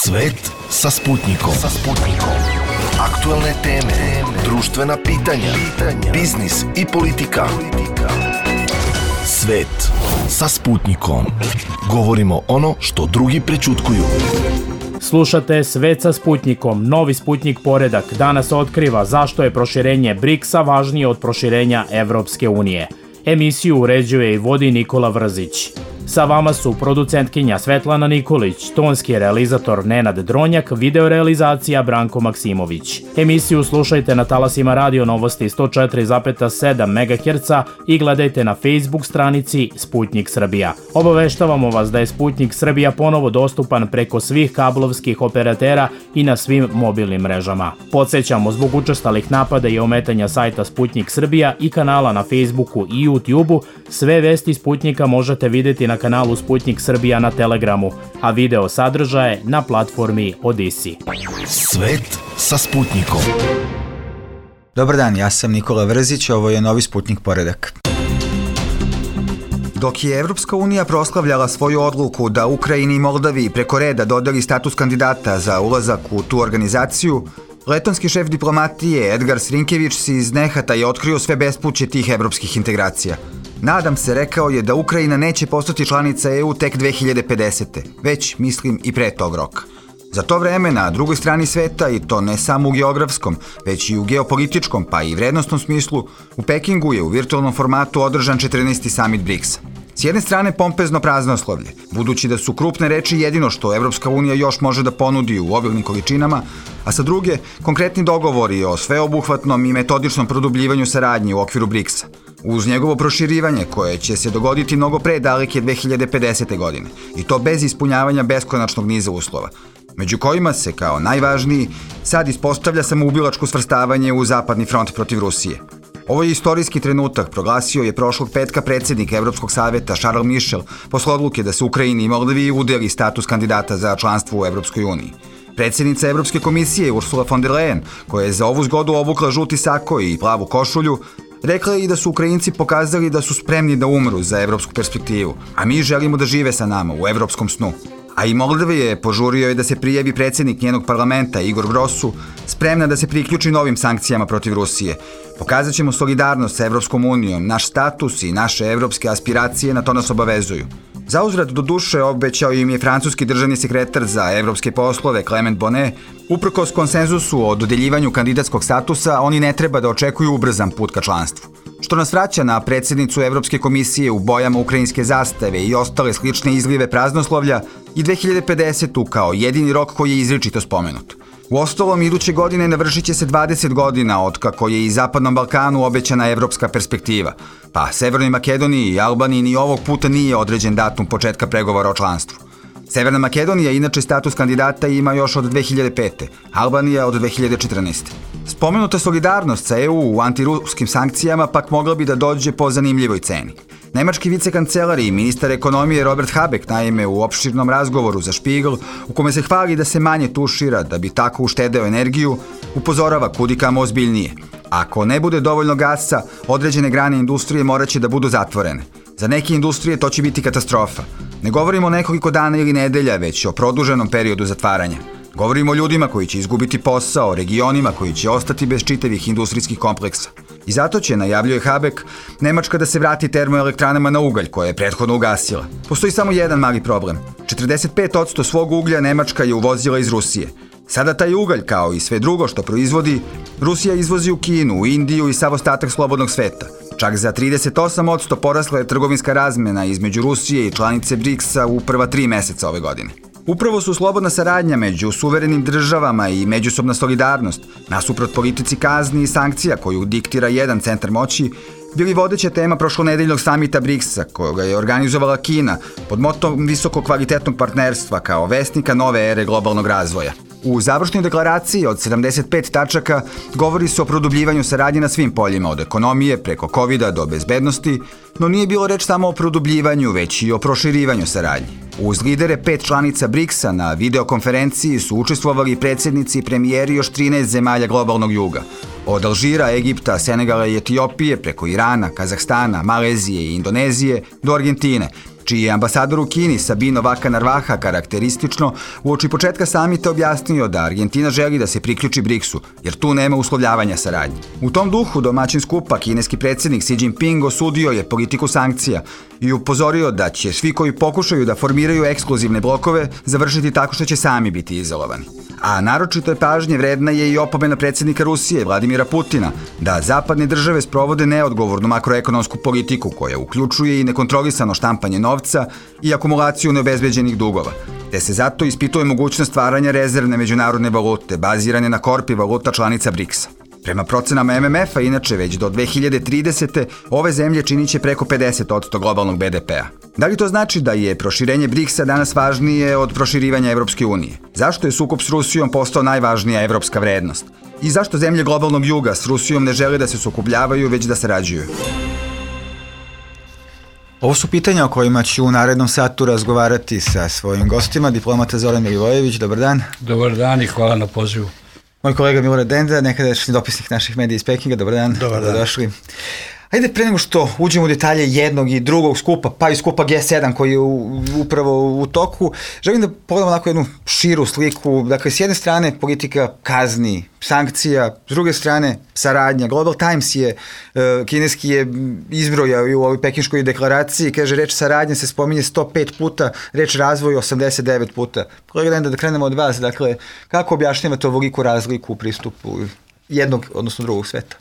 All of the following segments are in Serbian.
Svet sa Sputnikom. Aktuelne teme, društvena pitanja, biznis i politika. Svet sa Sputnikom. Govorimo ono što drugi prećutkuju. Slušate Svet sa Sputnikom, novi Sputnik poredak. Danas otkriva zašto je proširenje BRICS-a važnije od proširenja Evropske unije. Emisiju uređuje i vodi Nikola Vrzić. Sa vama su producentkinja Svetlana Nikolić, tonski realizator Nenad Dronjak, videorealizacija Branko Maksimović. Emisiju slušajte na talasima Radio Novosti 104,7 MHz i gledajte na Facebook stranici Sputnik Srbija. Obaveštavamo vas da je Sputnik Srbija ponovo dostupan preko svih kablovskih operatera i na svim mobilnim mrežama. Podsećamo, zbog učestalih napada i ometanja sajta Sputnik Srbija i kanala na Facebooku i YouTubeu, sve vesti Sputnika možete vidjeti na kanalu Sputnik Srbija na Telegramu, a video sadržaje na platformi Odisi. Svet sa Sputnikom. Dobar dan, ja sam Nikola Vrzić, ovo je novi Sputnik poredak. Dok je Evropska unija proslavljala svoju odluku da Ukrajini i Moldaviji preko reda dodeli status kandidata za ulazak u tu organizaciju, letonski šef diplomatije Edgar Srinkević si iz nehata je otkrio sve bespuće tih evropskih integracija. Nadam se, rekao je, da Ukrajina neće postati članica EU tek 2050. Već, mislim, i pre tog roka. Za to vreme, na drugoj strani sveta, i to ne samo u geografskom, već i u geopolitičkom, pa i vrednostnom smislu, u Pekingu je u virtualnom formatu održan 14. samit BRICS-a. S jedne strane pompezno praznoslovlje, budući da su krupne reči jedino što Evropska unija još može da ponudi u obilnim količinama, a sa druge konkretni dogovori o sveobuhvatnom i metodičnom produbljivanju saradnje u okviru BRICS-a, uz njegovo proširivanje koje će se dogoditi mnogo pre daleke 2050. godine, i to bez ispunjavanja beskonačnog niza uslova, među kojima se kao najvažniji sad ispostavlja samoubilačko svrstavanje u zapadni front protiv Rusije. Ovo je istorijski trenutak, proglasio je prošlog petka predsjednik Evropskog saveta Charles Michel posle odluke da se Ukrajini i Moldaviji udeli status kandidata za članstvo u Evropskoj uniji. Predsjednica Evropske komisije Ursula von der Leyen, koja je za ovu zgodu obukla žuti sako i plavu košulju, rekla je i da su Ukrajinci pokazali da su spremni da umru za evropsku perspektivu, a mi želimo da žive sa nama u evropskom snu. A i Moldavija je požurio da se prijavi predsjednik njenog parlamenta Igor Grosu, spremna da se priključi novim sankcijama protiv Rusije. Pokazat ćemo solidarnost sa Evropskom unijom, naš status i naše evropske aspiracije na to nas obavezuju. Zauzvrat, do duše, obećao im je francuski državni sekretar za evropske poslove Clement Bonnet. Uprkos konsenzusu o dodeljivanju kandidatskog statusa, oni ne treba da očekuju ubrzan put ka članstvu. Što nas vraća na predsjednicu Evropske komisije u bojama ukrajinske zastave i ostale slične izlive praznoslovlja i 2050. kao jedini rok koji je izričito spomenut. Uostalom, iduće godine navršit će se 20 godina od kako je i Zapadnom Balkanu obećana evropska perspektiva, pa Severnoj Makedoniji i Albaniji ni ovog puta nije određen datum početka pregovora o članstvu. Severna Makedonija inače status kandidata ima još od 2005. Albanija od 2014. Spomenuta solidarnost sa EU u antiruskim sankcijama pak mogla bi da dođe po zanimljivoj ceni. Nemački vicekancelar i ministar ekonomije Robert Habeck, naime, u opširnom razgovoru za Spiegel, u kome se hvali da se manje tušira da bi tako uštedeo energiju, upozorava kudikamo ozbiljnije. Ako ne bude dovoljno gasa, određene grane industrije morat će da budu zatvorene. Za neke industrije to će biti katastrofa. Ne govorimo o nekoliko dana ili nedelja, već o produženom periodu zatvaranja. Govorimo o ljudima koji će izgubiti posao, o regionima koji će ostati bez čitavih industrijskih kompleksa. I zato će, najavljuje Habeck, Nemačka da se vrati termoelektranama na ugalj koje je prethodno ugasila. Postoji samo jedan mali problem. 45% svog uglja Nemačka je uvozila iz Rusije. Sada taj ugalj, kao i sve drugo što proizvodi, Rusija izvozi u Kinu, u Indiju i sav ostatak slobodnog sveta. Čak za 38% porasla je trgovinska razmena između Rusije i članice BRICS-a u prva 3 meseca ove godine. Upravo su slobodna saradnja među suverenim državama i međusobna solidarnost, nasuprot politici kazni i sankcija koju diktira jedan centar moći, bili vodeća tema prošlonedeljnog samita BRICS-a, koga je organizovala Kina pod motom visoko kvalitetnog partnerstva kao vesnika nove ere globalnog razvoja. U završnoj deklaraciji od 75 tačaka govori se o produbljivanju saradnje na svim poljima, od ekonomije preko covida do bezbednosti, no nije bilo reč samo o produbljivanju, već i o proširivanju saradnje. Uz lidere 5 članica BRICS-a na videokonferenciji su učestvovali predsjednici i premijeri još 13 zemalja globalnog juga. Od Alžira, Egipta, Senegala i Etiopije, preko Irana, Kazahstana, Malezije i Indonezije do Argentine, čiji je ambasador u Kini Sabino Vaka Narvaha karakteristično uoči početka samita objasnio da Argentina želi da se priključi BRICS-u, jer tu nema uslovljavanja saradnje. U tom duhu domaćin skupa kineski predsjednik Xi Jinping osudio je politiku sankcija i upozorio da će svi koji pokušaju da formiraju ekskluzivne blokove završiti tako što će sami biti izolovani. A naročito je pažnje vredna je i opomena predsjednika Rusije Vladimira Putina da zapadne države sprovode neodgovornu makroekonomsku politiku koja uključuje i nekontrolisano štampanje novca i akumulaciju neobezbeđenih dugova, te se zato ispituje mogućnost stvaranja rezervne međunarodne valute bazirane na korpi valuta članica BRICS-a. Prema procenama MMF-a, inače, već do 2030. ove zemlje činit će preko 50% globalnog BDP-a. Da li to znači da je proširenje BRICS-a danas važnije od proširivanja Evropske unije? Zašto je sukob s Rusijom postao najvažnija evropska vrednost? I zašto zemlje globalnog juga s Rusijom ne žele da se sukobljavaju, već da sarađuju? Ovo su pitanja o kojima ću u narednom satu razgovarati sa svojim gostima. Diplomata Zoran Milivojević, dobar dan. Dobar dan i hvala na pozivu. Moj kolega Milorad Denda, nekadašnji dopisnik naših medija iz Pekinga, dobar dan. Dobar dan. Došli. Ajde, pre nego što uđemo u detalje jednog i drugog skupa, pa i skupa G7 koji je upravo u toku, želim da pogledamo onako jednu širu sliku. Dakle, s jedne strane politika kazni, sankcija, s druge strane saradnja. Global Times je, kineski je izbrojao i u ovoj pekinškoj deklaraciji, kaže reč saradnja se spominje 105 puta, reč razvoj 89 puta. Kolega Denda, da krenemo od vas, dakle, kako objašnjavate ovoliku razliku u pristupu jednog, odnosno drugog sveta?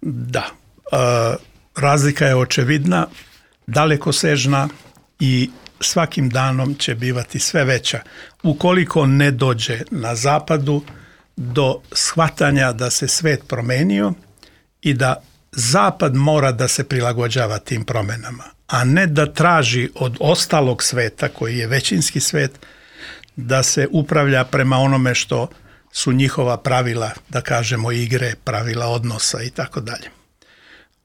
Da. Razlika je očevidna, dalekosežna i svakim danom će bivati sve veća. Ukoliko ne dođe na zapadu do shvatanja da se svet promenio i da zapad mora da se prilagođava tim promenama, a ne da traži od ostalog sveta, koji je većinski svet, da se upravlja prema onome što su njihova pravila, da kažemo igre, pravila odnosa i tako dalje.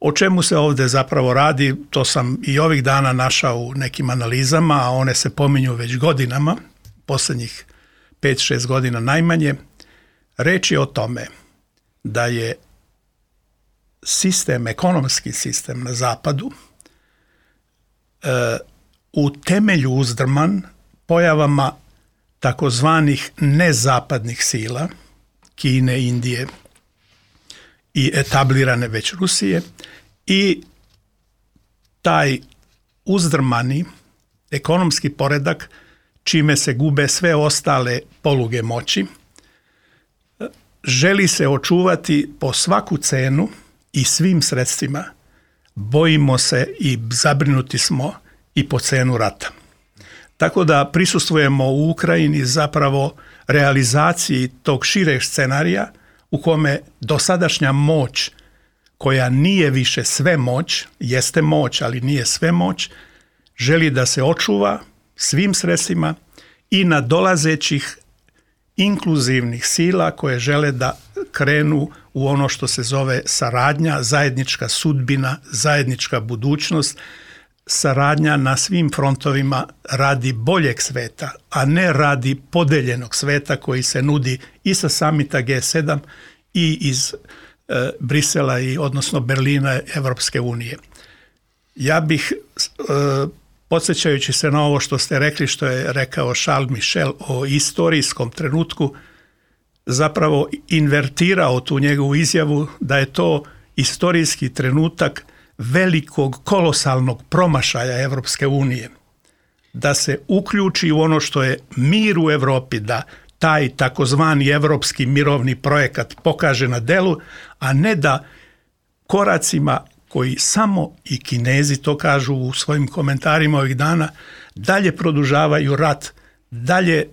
O čemu se ovdje zapravo radi, to sam i ovih dana našao u nekim analizama, a one se pominju već godinama, posljednjih 5-6 godina najmanje. Reč je o tome da je sistem, ekonomski sistem na zapadu u temelju uzdrman pojavama takozvanih nezapadnih sila, Kine, Indije i etablirane već Rusije, i taj uzdrmani ekonomski poredak, čime se gube sve ostale poluge moći, želi se očuvati po svaku cenu i svim sredstvima. Bojimo se i zabrinuti smo i po cenu rata. Tako da prisustvujemo u Ukrajini zapravo realizaciji tog šireg scenarija u kome dosadašnja moć, koja nije više sve moć, jeste moć, ali nije sve moć, želi da se očuva svim sredstvima i nadolazećih inkluzivnih sila koje žele da krenu u ono što se zove saradnja, zajednička sudbina, zajednička budućnost, saradnja na svim frontovima radi boljeg sveta, a ne radi podeljenog sveta koji se nudi i sa samita G7 i iz Brisela i odnosno Berlina Evropske unije. Ja bih, podsjećajući se na ovo što ste rekli, što je rekao Charles Michel o istorijskom trenutku, zapravo invertirao tu njegovu izjavu da je to istorijski trenutak velikog kolosalnog promašaja Evropske unije, da se uključi u ono što je mir u Evropi, da taj takozvani evropski mirovni projekat pokaže na delu, a ne da koracima koji samo i Kinezi to kažu u svojim komentarima ovih dana, dalje produžavaju rat, dalje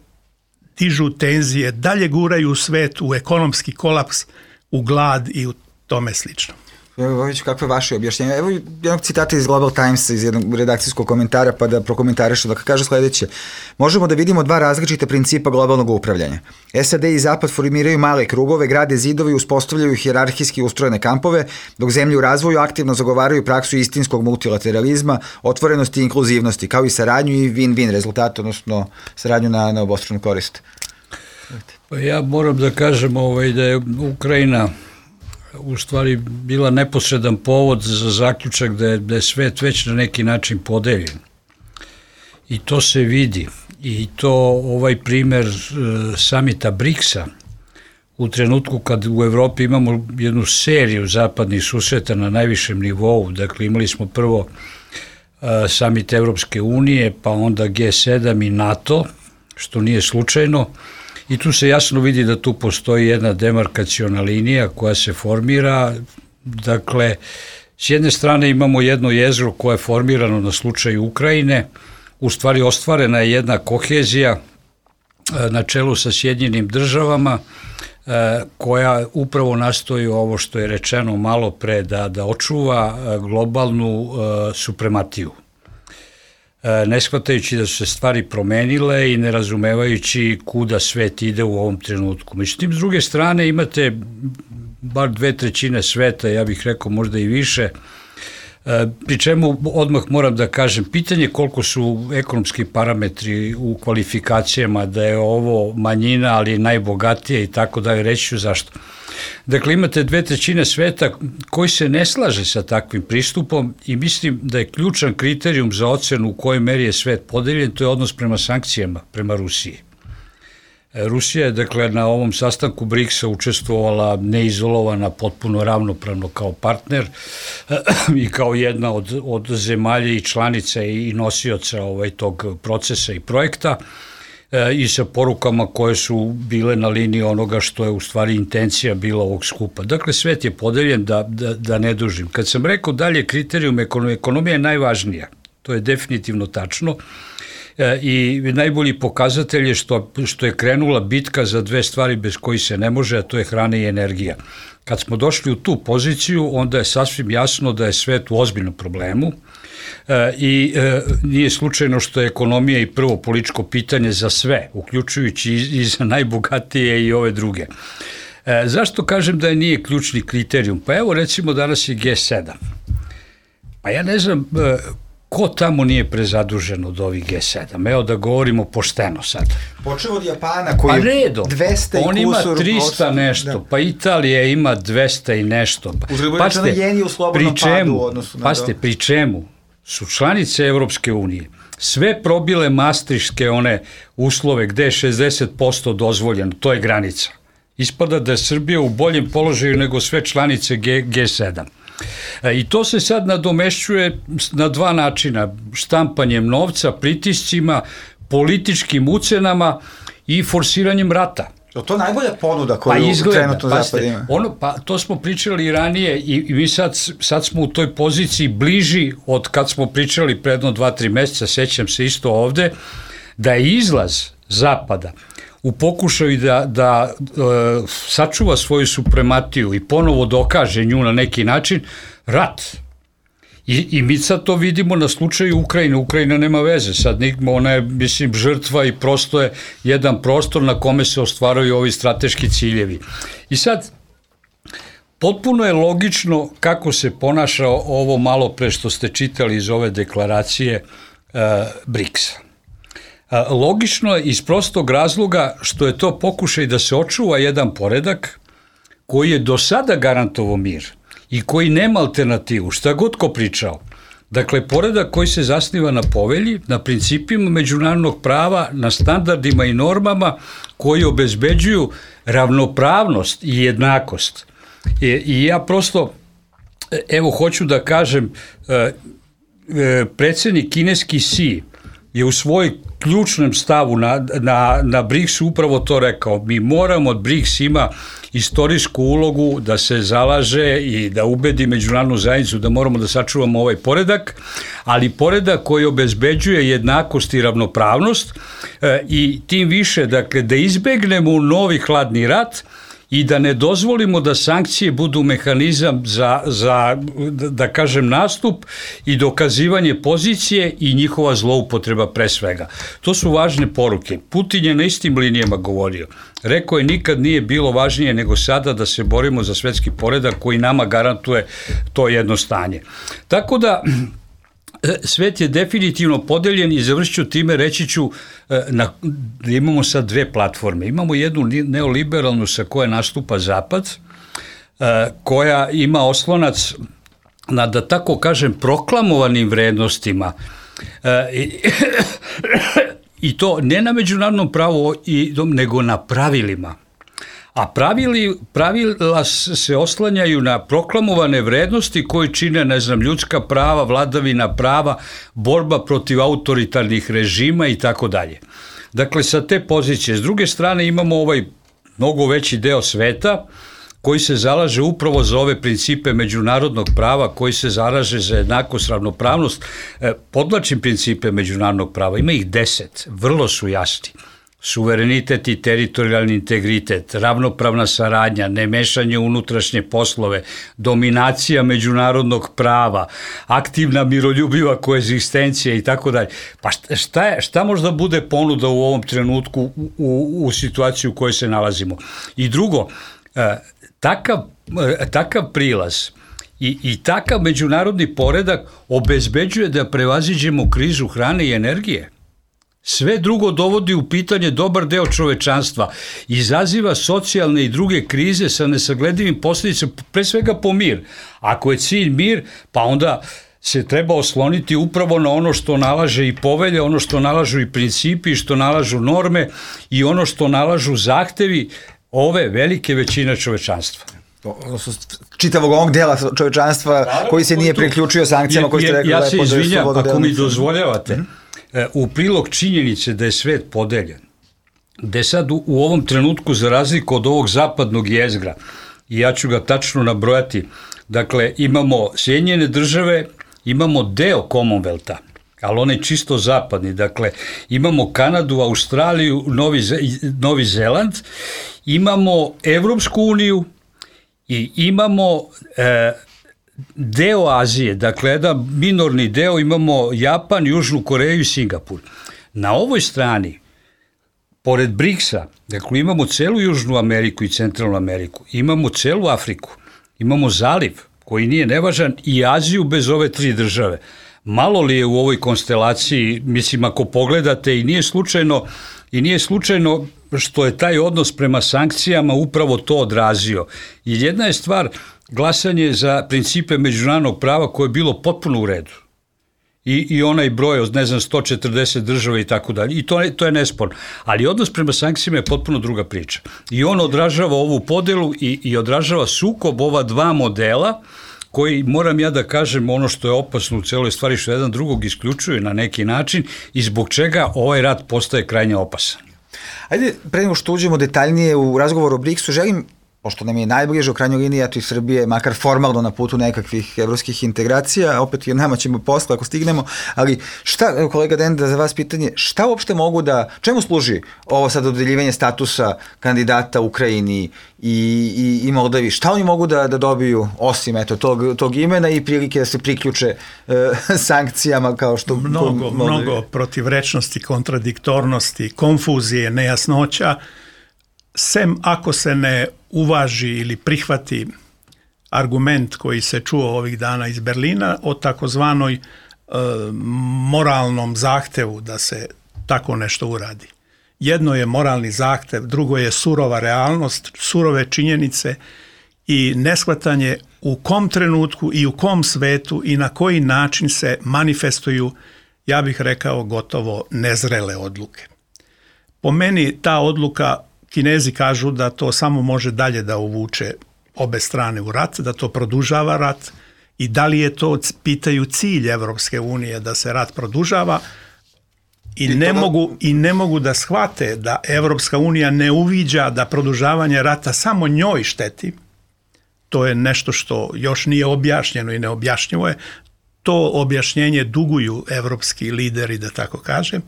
dižu tenzije, dalje guraju svet u ekonomski kolaps, u glad i u tome slično. Kakve je vaše objašnjenje? Evo jednog citata iz Global Timesa, iz jednog redakcijskog komentara, pa da prokomentarišu. Dakle, kaže sljedeće: možemo da vidimo dva različita principa globalnog upravljanja. SAD i Zapad formiraju male krugove, grade zidove i uspostavljaju hijerarhijski ustrojene kampove, dok zemlje u razvoju aktivno zagovaraju praksu istinskog multilateralizma, otvorenosti i inkluzivnosti, kao i saradnju i win-win rezultat, odnosno saradnju na obostranu korist. Pa ja moram da kažem da je Ukrajina u stvari bila neposredan povod za zaključak da je svet već na neki način podeljen. i to se vidi. I to ovaj primer samita BRICS-a, u trenutku kad u Evropi imamo jednu seriju zapadnih susreta na najvišem nivou, dakle imali smo prvo samit Evropske unije, pa onda G7 i NATO, što nije slučajno, i tu se jasno vidi da tu postoji jedna demarkaciona linija koja se formira. Dakle, s jedne strane imamo jedno jezgro koje je formirano na slučaju Ukrajine, u stvari ostvarena je jedna kohezija na čelu sa Sjedinjenim državama, koja upravo nastoji ovo što je rečeno malo pre, da očuva globalnu suprematiju. Ne shvatajući da su se stvari promenile i ne razumevajući kuda svet ide u ovom trenutku. Međutim, s druge strane imate bar 2/3 sveta, ja bih rekao možda i više, pri čemu odmah moram da kažem, pitanje koliko su ekonomski parametri u kvalifikacijama, da je ovo manjina, ali najbogatije i tako da, reći ću zašto. Dakle, imate 2/3 sveta koji se ne slaže sa takvim pristupom i mislim da je ključan kriterijum za ocenu u kojoj meri je svet podeljen, to je odnos prema sankcijama, prema Rusiji. Rusija je, dakle, na ovom sastanku BRICS-a učestvovala neizolovana, potpuno ravnopravno kao partner i kao jedna od zemalja i članica i nosioca tog procesa i projekta, i sa porukama koje su bile na liniji onoga što je u stvari intencija bila ovog skupa. Dakle, svet je podeljen, da ne dužim. Kad sam rekao dalje kriterijum, ekonomija je najvažnija, to je definitivno tačno, i najbolji pokazatelj je što je krenula bitka za dve stvari bez kojih se ne može, a to je hrana i energija. Kad smo došli u tu poziciju, onda je sasvim jasno da je svet u ozbiljnom problemu, i nije slučajno što je ekonomija i prvo političko pitanje za sve, uključujući i za najbogatije i ove druge. Zašto kažem da nije ključni kriterijum? Pa evo, recimo, danas je G7. Pa ja ne znam ko tamo nije prezadužen od ovih G7. Evo da govorimo pošteno sad. Počeo od Japana koji je 200 i on ima 300 nešto, da. Pa Italija ima 200 i nešto. Uzgleda jen je u slobodnom padu u odnosu na to. Pri čemu su članice Evropske unije sve probile maastrichtske one uslove gde je 60% dozvoljeno, to je granica. Ispada da je Srbija u boljem položaju nego sve članice G7. I to se sad nadomešćuje na dva načina, štampanjem novca, pritiscima, političkim ucenama i forsiranjem rata. Je to najbolja ponuda koju trenutno Zapad ima? Pa to smo pričali i ranije i mi sad smo u toj poziciji bliži od kad smo pričali predno 2-3 meseca, sećam se isto ovde, da je izlaz Zapada u pokušaju da sačuva svoju suprematiju i ponovo dokaže nju na neki način, rat. I mi sad to vidimo na slučaju Ukrajine. Ukrajina nema veze, sad ona je, mislim, žrtva i prosto je jedan prostor na kome se ostvaraju ovi strateški ciljevi. I sad, potpuno je logično kako se ponaša ovo malo pre što ste čitali iz ove deklaracije BRICS-a. Logično je iz prostog razloga što je to pokušaj da se očuva jedan poredak koji je do sada garantovao mir i koji nema alternativu, šta god ko pričao. Dakle, poredak koji se zasniva na povelji, na principima međunarodnog prava, na standardima i normama koji obezbeđuju ravnopravnost i jednakost. I ja prosto, evo, hoću da kažem, predsednik kineski Xi je u svoj ključnom stavu na BRICS upravo to rekao. Mi moramo, BRICS ima istorijsku ulogu da se zalaže i da ubedi međunarodnu zajednicu da moramo da sačuvamo ovaj poredak, ali poredak koji obezbeđuje jednakost i ravnopravnost, i tim više, dakle, da izbegnemo novi hladni rat i da ne dozvolimo da sankcije budu mehanizam za da kažem, nastup i dokazivanje pozicije i njihova zloupotreba pre svega. To su važne poruke. Putin je na istim linijama govorio. Rekao je, nikad nije bilo važnije nego sada da se borimo za svetski poredak koji nama garantuje to jedno stanje. Tako da, svet je definitivno podeljen i završit ću time, reći ću da imamo sad dve platforme. Imamo jednu neoliberalnu sa koje nastupa Zapad, koja ima oslonac na, da tako kažem, proklamovanim vrednostima I to ne na međunarodnom pravu, nego na pravilima. A pravila se oslanjaju na proklamovane vrednosti koji čine, ljudska prava, vladavina prava, borba protiv autoritarnih režima i tako dalje. Dakle, sa te pozicije. S druge strane imamo ovaj mnogo veći deo sveta koji se zalaže upravo za ove principe međunarodnog prava, koji se zalaže za jednakost, ravnopravnost. Podvlačim principe međunarodnog prava, ima ih 10, vrlo su jasni. Suverenitet i teritorijalni integritet, ravnopravna saradnja, nemešanje u unutrašnje poslove, dominacija međunarodnog prava, aktivna miroljubiva koegzistencija i tako dalje. Pa šta možda bude ponuda u ovom trenutku u situaciji u kojoj se nalazimo? I drugo, takav prilaz i takav međunarodni poredak obezbeđuje da prevaziđemo krizu hrane i energije. Sve drugo dovodi u pitanje dobar deo čovečanstva, izaziva socijalne i druge krize sa nesagledivim posljedicama, pre svega po mir. Ako je cilj mir, pa onda se treba osloniti upravo na ono što nalaže i povelje, ono što nalažu i principi, što nalažu norme i ono što nalažu zahtevi ove velike većine čovečanstva. Čitavog ovog dela čovečanstva koji se nije priključio sankcijama koji ste rekli. Ja se izvinjam, ako mi dozvoljavate, u prilog činjenice da je svet podeljen, gde sad u ovom trenutku, za razliku od ovog zapadnog jezgra, i ja ću ga tačno nabrojati, dakle imamo Sjedinjene države, imamo deo Commonwealtha, ali on je čisto zapadni, dakle imamo Kanadu, Australiju, Novi Zeland, imamo Evropsku uniju i imamo deo Azije, dakle jedan minorni deo, imamo Japan, Južnu Koreju i Singapur. Na ovoj strani, pored BRICS-a, dakle imamo celu Južnu Ameriku i Centralnu Ameriku, imamo celu Afriku, imamo zaliv koji nije nevažan i Aziju bez ove 3 države. Malo li je u ovoj konstelaciji, mislim ako pogledate, i nije slučajno što je taj odnos prema sankcijama upravo to odrazio. I jedna je stvar glasanje za principe međunarodnog prava koje je bilo potpuno u redu. I onaj broj od 140 država i tako dalje. I to je nesporno. Ali odnos prema sankcijama je potpuno druga priča. I on odražava ovu podelu i odražava sukob ova 2 modela koji, moram ja da kažem, ono što je opasno u celoj stvari, što jedan drugog isključuje na neki način i zbog čega ovaj rat postaje krajnje opasan. Ajde, pre nego što uđemo detaljnije u razgovor o BRICS-u, želim, pošto nam je najbliže u krajnjoj liniji, eto i Srbije, makar formalno na putu nekakvih evropskih integracija, opet i nama ćemo posle ako stignemo, ali šta, kolega Denda, za vas pitanje, šta uopšte mogu čemu služi ovo sad dodeljivanje statusa kandidata Ukrajini i Moldavi, šta oni mogu da dobiju osim tog imena i prilike da se priključe sankcijama kao što... Mnogo protivrečnosti, kontradiktornosti, konfuzije, nejasnoća, sem ako se ne uvaži ili prihvati argument koji se čuo ovih dana iz Berlina o takozvanoj moralnom zahtevu da se tako nešto uradi. Jedno je moralni zahtev, drugo je surova realnost, surove činjenice i neshvatanje u kom trenutku i u kom svetu i na koji način se manifestuju, ja bih rekao, gotovo nezrele odluke. Po meni ta odluka, Kinezi kažu da to samo može dalje da uvuče obe strane u rat, da to produžava rat i da li je to, pitaju, cilj Evropske unije da se rat produžava i ne mogu da shvate da Evropska unija ne uviđa da produžavanje rata samo njoj šteti. To je nešto što još nije objašnjeno i neobjašnjivo je. To objašnjenje duguju evropski lideri, da tako kažem.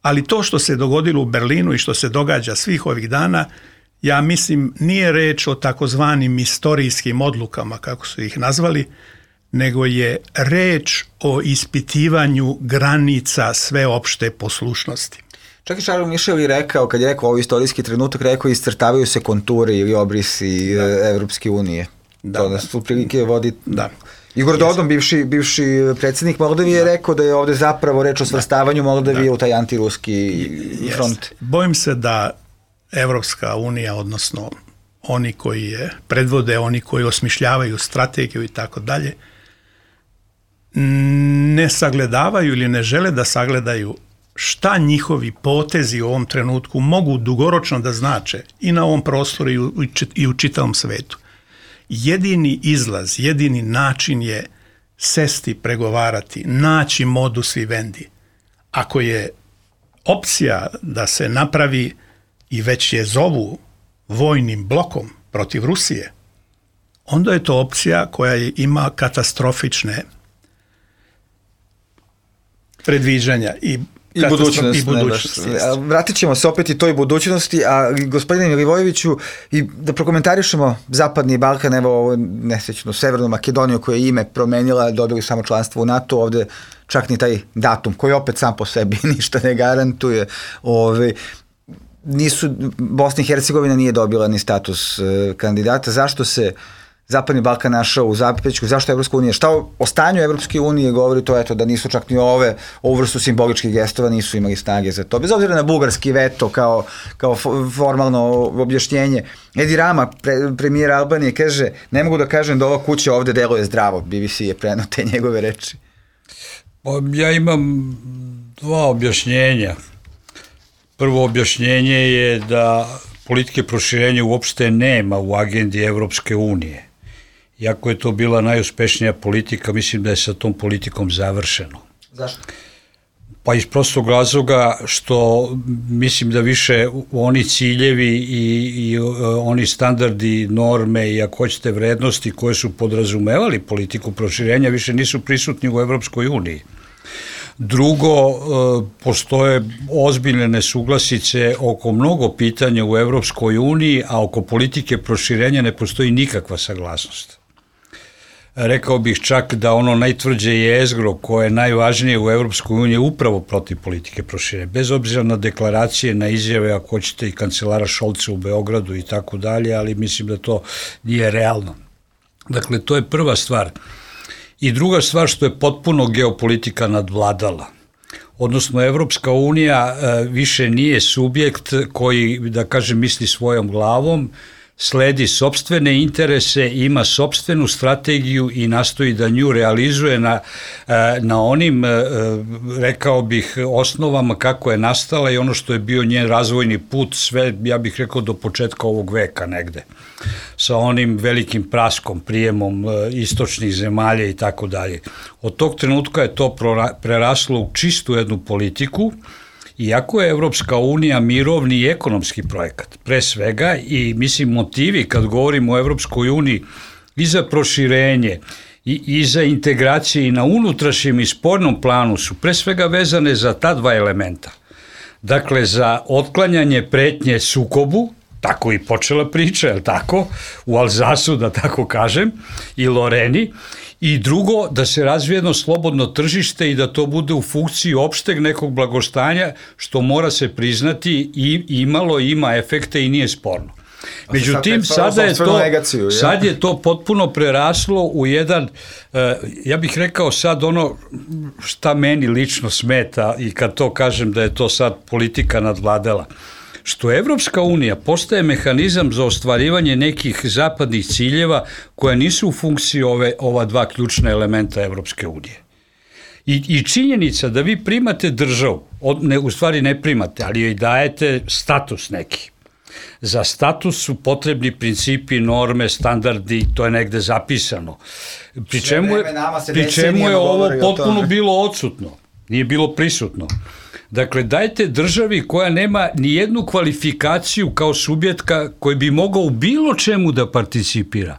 Ali to što se dogodilo u Berlinu i što se događa svih ovih dana, ja mislim nije reč o takozvanim istorijskim odlukama, kako su ih nazvali, nego je reč o ispitivanju granica sveopšte poslušnosti. Čak i Charles Michel je rekao, kad je rekao ovo istorijski trenutak, rekao iscrtavaju se konture ili obrisi Evropske unije. To nas u prilike vodi... Da. Igor Dodon, bivši predsjednik Moldavije, je rekao da je ovde zapravo reč o svrstavanju Moldavije u taj antiruski front. Bojim se da Evropska unija, odnosno oni koji je predvode, oni koji osmišljavaju strategiju i tako dalje, ne sagledavaju ili ne žele da sagledaju šta njihovi potezi u ovom trenutku mogu dugoročno da znače i na ovom prostoru i u čitavom svetu. Jedini izlaz, jedini način je sesti, pregovarati, naći modus vivendi. Ako je opcija da se napravi i već je zovu vojnim blokom protiv Rusije, onda je to opcija koja ima katastrofične predviđanja i budućnosti. Vratit ćemo se opet i toj budućnosti, a gospodine Milivojeviću, i da prokomentarišemo Zapadni Balkan, evo ovo nesrećnu Severnu Makedoniju koja je ime promenila, dobili samo članstvo u NATO, ovde čak ni taj datum koji opet sam po sebi ništa ne garantuje. Bosna i Hercegovina nije dobila ni status kandidata. Zašto se Zapadni Balkan našao u zapećku, zašto Evropska unija, šta o stanju Evropske unije govori to, eto, da nisu čak ni ovu vrstu simboličkih gestova nisu imali snage za to, bez obzira na bugarski veto kao formalno objašnjenje. Edi Rama, premijer Albanije, kaže, ne mogu da kažem da ova kuća ovde deluje zdravo, BBC je preneo te njegove reči. Ja imam dva objašnjenja. Prvo objašnjenje je da politike proširenja uopšte nema u agendi Evropske unije. Iako je to bila najuspešnija politika, mislim da je sa tom politikom završeno. Zašto? Pa iz prostog razloga što mislim da više oni ciljevi i oni standardi, norme i ako hoćete vrednosti koje su podrazumevali politiku proširenja više nisu prisutni u Evropskoj uniji. Drugo, postoje ozbiljne nesuglasice oko mnogo pitanja u Evropskoj uniji, a oko politike proširenja ne postoji nikakva saglasnost. Rekao bih čak da ono najtvrđe jezgro koje je najvažnije u Evropskoj uniji je upravo protiv politike proširenja. Bez obzira na deklaracije, na izjave, ako hoćete i kancelara Šolca u Beogradu i tako dalje, ali mislim da to nije realno. Dakle, to je prva stvar. I druga stvar što je potpuno geopolitika nadvladala. Odnosno, Evropska unija više nije subjekt koji, da kažem, misli svojom glavom, sledi sopstvene interese, ima sopstvenu strategiju i nastoji da nju realizuje na onim, rekao bih, osnovama kako je nastala i ono što je bio njen razvojni put, sve, ja bih rekao, do početka ovog veka negde, sa onim velikim praskom, prijemom istočnih zemalja i tako dalje. Od tog trenutka je to preraslo u čistu jednu politiku, iako je Evropska unija mirovni i ekonomski projekat, pre svega, i mislim motivi kad govorimo o Evropskoj uniji i za proširenje i za integracije i na unutrašnjem i spoljnom planu su pre svega vezane za ta dva elementa. Dakle, za otklanjanje pretnje sukobu, tako i počela priča, je li tako, u Alzasu, da tako kažem, i Loreni, i drugo, da se razvije jedno slobodno tržište i da to bude u funkciji opšteg nekog blagostanja, što mora se priznati i ima efekte i nije sporno. Međutim, sad je to potpuno preraslo u jedan, ja bih rekao sad ono šta meni lično smeta i kad to kažem da je to sad politika nadvladala, što Evropska unija postaje mehanizam za ostvarivanje nekih zapadnih ciljeva koja nisu u funkciji ova dva ključna elementa Evropske unije. I činjenica da vi primate državu, u stvari ne primate, ali joj dajete status neki. Za status su potrebni principi, norme, standardi, to je negde zapisano. Pri čemu je ovo potpuno bilo odsutno, nije bilo prisutno. Dakle, dajte državi koja nema ni jednu kvalifikaciju kao subjekta koji bi mogao u bilo čemu da participira,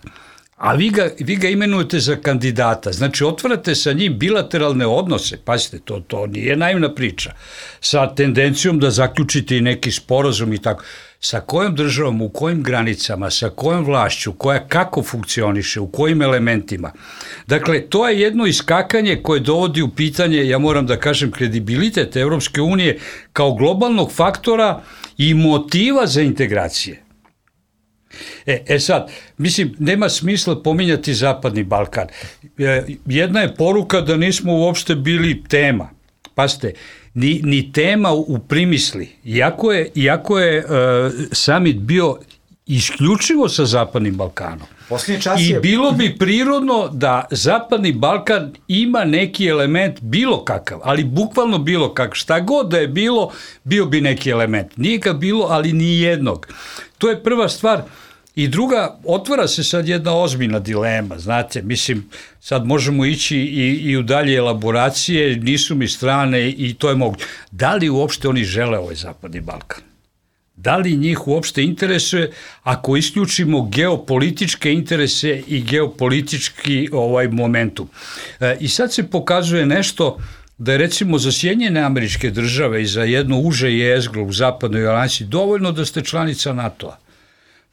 a vi ga imenujete za kandidata. Znači, otvarate sa njim bilateralne odnose, pazite, to nije naivna priča, sa tendencijom da zaključite i neki sporazum i tako. Sa kojom državom, u kojim granicama, sa kojom vlašću, koja kako funkcioniše, u kojim elementima. Dakle, to je jedno iskakanje koje dovodi u pitanje, ja moram da kažem, kredibilitet Evropske unije kao globalnog faktora i motiva za integracije. Sad, mislim, nema smisla pominjati Zapadni Balkan. Jedna je poruka da nismo uopšte bili tema. Pazite, ni tema u primisli. Iako je summit bio isključivo sa Zapadnim Balkanom. I bilo bi prirodno da Zapadni Balkan ima neki element bilo kakav, ali bukvalno bilo kakav. Šta god da je bilo, bio bi neki element. Nije ga bilo, ali ni jednog. To je prva stvar. I druga, otvara se sad jedna ozbiljna dilema, znate, mislim, sad možemo ići i u dalje elaboracije, nisu mi strane i to je moguće. Da li uopšte oni žele ovaj Zapadni Balkan? Da li njih uopšte interesuje ako isključimo geopolitičke interese i geopolitički momentum? I sad se pokazuje nešto da je recimo za Sjedinjene Američke Države i za jedno uže jezgro u zapadnoj alijansi dovoljno da ste članica NATO-a.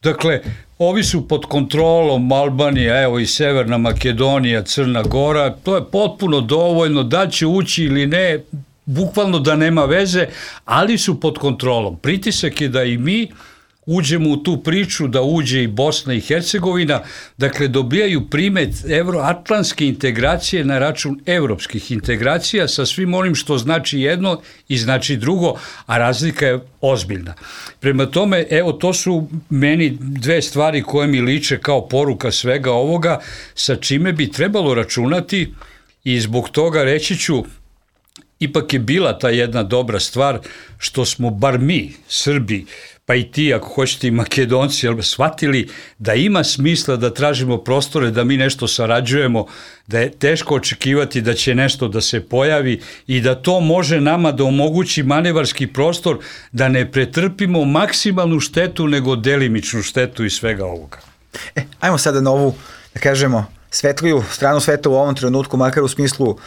Dakle, ovi su pod kontrolom Albanija, evo i Severna Makedonija, Crna Gora, to je potpuno dovoljno, da će ući ili ne, bukvalno da nema veze, ali su pod kontrolom. Pritisak je da i mi uđemo u tu priču, da uđe i Bosna i Hercegovina, dakle dobijaju primet evroatlantske integracije na račun evropskih integracija sa svim onim što znači jedno i znači drugo, a razlika je ozbiljna. Prema tome, evo to su meni dve stvari koje mi liče kao poruka svega ovoga, sa čime bi trebalo računati i zbog toga reći ću, ipak je bila ta jedna dobra stvar što smo bar mi, Srbi, pa i ti ako hoćete i Makedonci, shvatili da ima smisla da tražimo prostore, da mi nešto sarađujemo, da je teško očekivati da će nešto da se pojavi i da to može nama da omogući manevarski prostor da ne pretrpimo maksimalnu štetu nego delimičnu štetu iz svega ovoga. Ajmo sada na ovu, da kažemo, svetliju stranu sveta u ovom trenutku, makar u smislu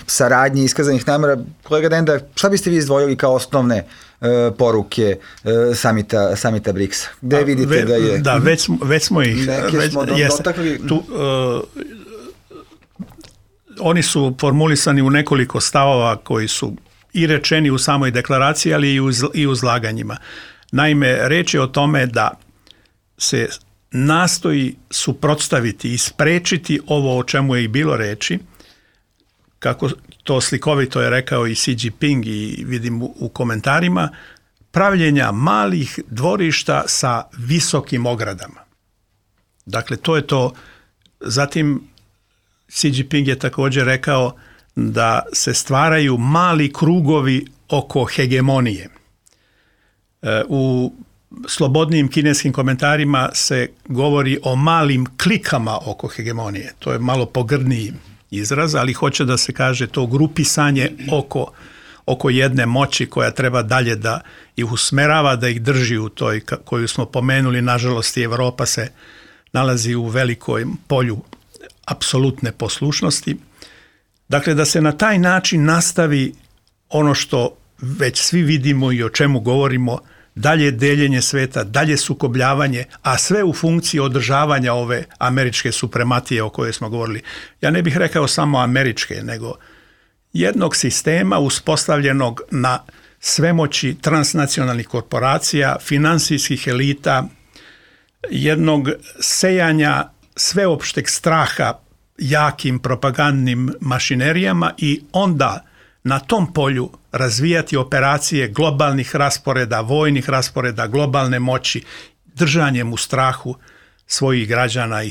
saradnje iskazanih namera. Kolega Denda, šta biste vi izdvojili kao osnovne poruke samita BRICS-a? Gde vidite da je... Da, već smo ih... dotakli. Oni su formulisani u nekoliko stavova koji su i rečeni u samoj deklaraciji, ali i u izlaganjima. Naime, reč je o tome da se nastoji suprotstaviti i sprečiti ovo o čemu je i bilo reči, kako to slikovito je rekao i Xi Jinping i vidim u komentarima, pravljenja malih dvorišta sa visokim ogradama. Dakle, to je to. Zatim Xi Jinping je također rekao da se stvaraju mali krugovi oko hegemonije. U slobodnim kineskim komentarima se govori o malim klikama oko hegemonije. To je malo pogrdniji izraz, ali hoće da se kaže to grupisanje oko jedne moći koja treba dalje da ih usmerava, da ih drži u toj koju smo pomenuli. Nažalost, i Evropa se nalazi u velikom polju apsolutne poslušnosti. Dakle, da se na taj način nastavi ono što već svi vidimo i o čemu govorimo, dalje deljenje sveta, dalje sukobljavanje, a sve u funkciji održavanja ove američke suprematije o kojoj smo govorili. Ja ne bih rekao samo američke, nego jednog sistema uspostavljenog na svemoći transnacionalnih korporacija, finansijskih elita, jednog sejanja sveopšteg straha jakim propagandnim mašinerijama i onda na tom polju razvijati operacije globalnih rasporeda, vojnih rasporeda, globalne moći, držanjem u strahu svojih građana